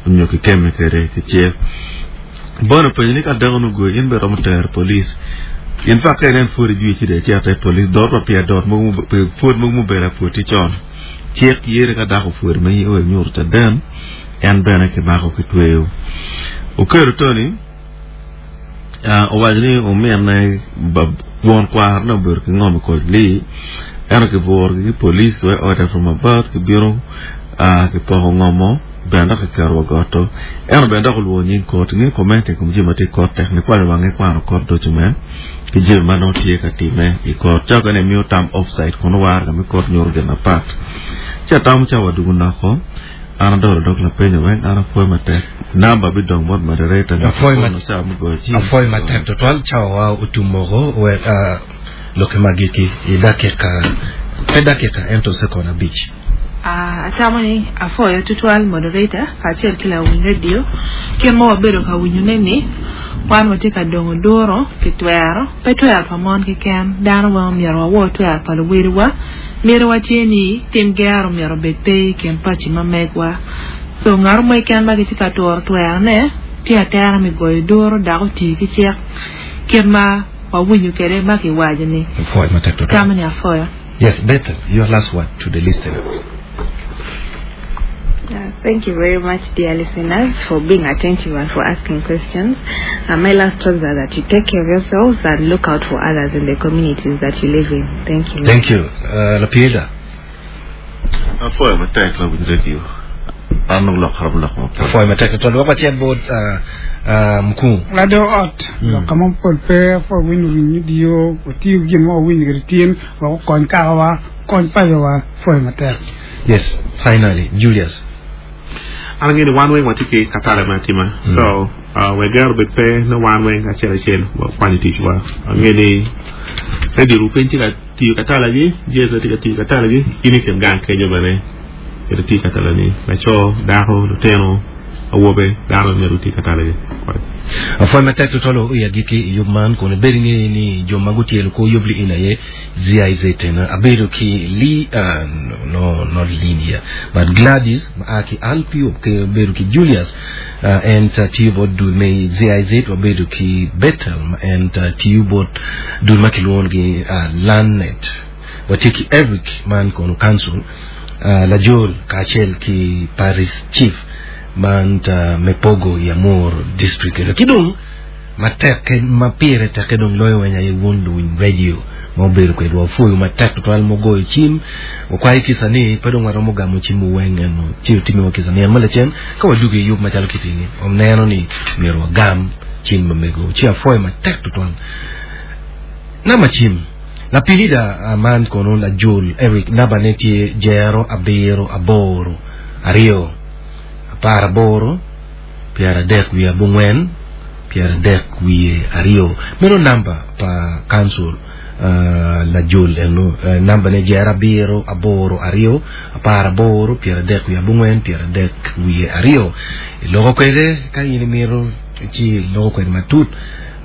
onyo kikeme kede kicik bono penyo ni ka dako nugoyi in bene romo tero police in fact ka inen pwod ijwi ci dong icito i police dot pa pye dot mogo pwod mogo mubedo apwod con cik yere ka dako opwodi ma in inyuto caden en bene kimako kitweyo Okello Tony owaco ni omine won kwarone obedo ki ngom i koc lee ento kiburogi ki police we order from above kibino kipoko ngomo bene dok kiketo wa goto ento bene dok olwongo nying kot inge comment i kom jami ma tye i kot tek nikwanyo wange kwano kot document ki jami ma nongo tye ka time i kot ca okene miyo tam offside kun waraga me kot nyuto gin mapat ci atamo ca wadugo noko an adolo dog lapenyo weng an apwoyo matek namba bidong bot moderator Apwoyo mat- ca mugoyo cim apwoyo matek tutwal cawa otum moko wek uh, loke magiki i dakika pe dakika ento sekon abic Ah, atamo ni afoyo tutwal moderator kacel ki lawiny radio kit ma wabedo ka winyone ni wan watye ka dongo duro pi twero pe twero pa mon keken dano weng omyero wawor twero pa luwediwa myero tye ni tim gero myero obed pe i kin paci ma megwa so ngat mo keken ma gitye ka turo twerone tye atera me goyo duro dok oti ki cik kit ma wawinyo kede ma kiwaco ni apwoyo matek tutwal tamo ni afoyo yes Bethel your last word to the listeners Uh, thank you very much, dear listeners, for being attentive and for asking questions. Uh, my last words are that you take care of yourselves and look out for others in the communities that you live in. Thank you. thank you uh, Lapieda apwoyo matek lawiny radio an nongo lok karomo lok mapol apwoyo matek tutwal wek wacit bot uh, uh, mkuu lado ot lok ka mapol pe fo winyo winyo dio otiyo gin ma wawinyo kede tin wek okony kakawa kony pacowa pwoyo matek yes finally Julius an ang'e ni wan weng watye ki katale me atima so uh, wegero bed pe ni wan weng acel acel wakwanyo ticwa ang'e ni radio rupiny tye ka tiyo katalagi jesa tye ka tiyo katalagi in i kin gang kenyo bene ito tiyo katalani laco dako lutino awobe dano myero oti katalagi apwoyo matek tutwal i agiki i yub man kun ibedo ing'e ni jo ma gutyelo ko yub li in aye GIZ tena abedo ki Lee uh, no, not Lydia but Gladys ma a ki Alpi ke abedo ki Julius uh, en uh, tiyo bot dul me GIZ wabedo ki Bethel ma en uh, tiyo bot dul ma kilwongo gi uh, Landnet watye ki Eric man kono council uh, Lajol kacel ki Paris Chief man ta me Pogo i Amur district ki dong matek ma pire tek dong loyo weny aye wun luwiny radio ma obedo kwedwa opwoyo matek tutwal mogoyo cim okwayo kisa ni pe dong waromo gamo cim weng eno ci otimiwa kisa ni en ma lacen ka wadugo i yub macalo kitini oneno ni myero wagam cim ma mego ci apwoyo matek tutwal namba cim lapilida uh, man kono lajol Eric namba ne tye jero abiro aboro aryo apar aboro piero adek wiye abongwen piero adek wiye aryo meno namba pa council uh, lajol eno uh, namba ne jero abiro aboro aryo apar aboro piero adek wiye abongwen piero adek wiye aryo iloko kwede ka in imito ci iloko kwede matut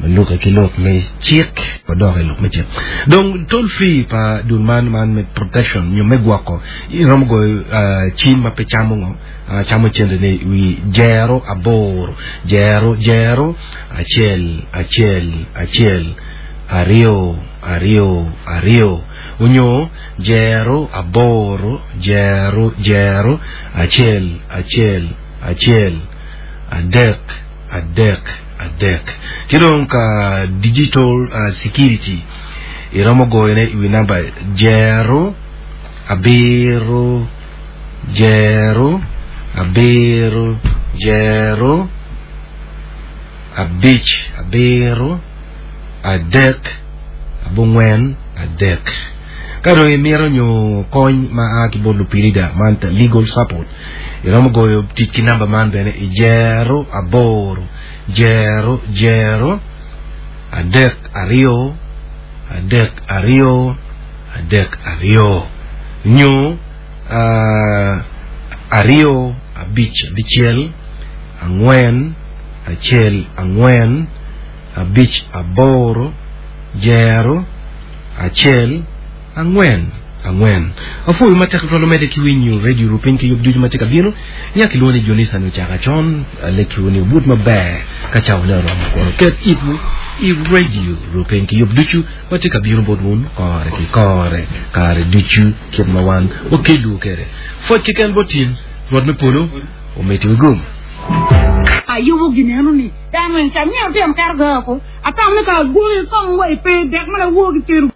maluke ki lok me cik wadok i lok me cik dong toll free pa dul man man me protection nyo me gwoko iromo goyo uh, cim ma pe camo ngo uh, camo cente ni wi jero aboro jero jero acel acel acel aryo aryo aryo onyo jero aboro jero jero acel acel acel adek adek adek ki dong ka digital uh, security iromo goyone i wi namba jero abiro jero abiro jero abic abiro adek abongwen adek ka dong imito nyo kony ma a ki bot lupirida man ta legal support iromo goyo tic ki namba man bene i jero aboro jero jero adek aryo adek aryo adek aryo nyo uh, aryo abic abicel angwen acel angwen abic aboro jero acel angwen angwen afuyu matek twalo mede ki winyo radio rupiny ki yub ducu ma tye ka bino nyaka iluongo ni Jonisa ni ochaka chon alekiwu ni obut maber ka cawa ne oromo kono ket itwu i radio rupiny ki yub ducu ma tye ka bino bot wun kore ki kore kare ducu kit ma wan wakelu kede pwoc keken bot tin rwot me polo omiti wigum ayubo gineno ni dano en ca myero tyen kar ga ko atam ni ka gwoyo kong wa ipe dek mana wuo gi teru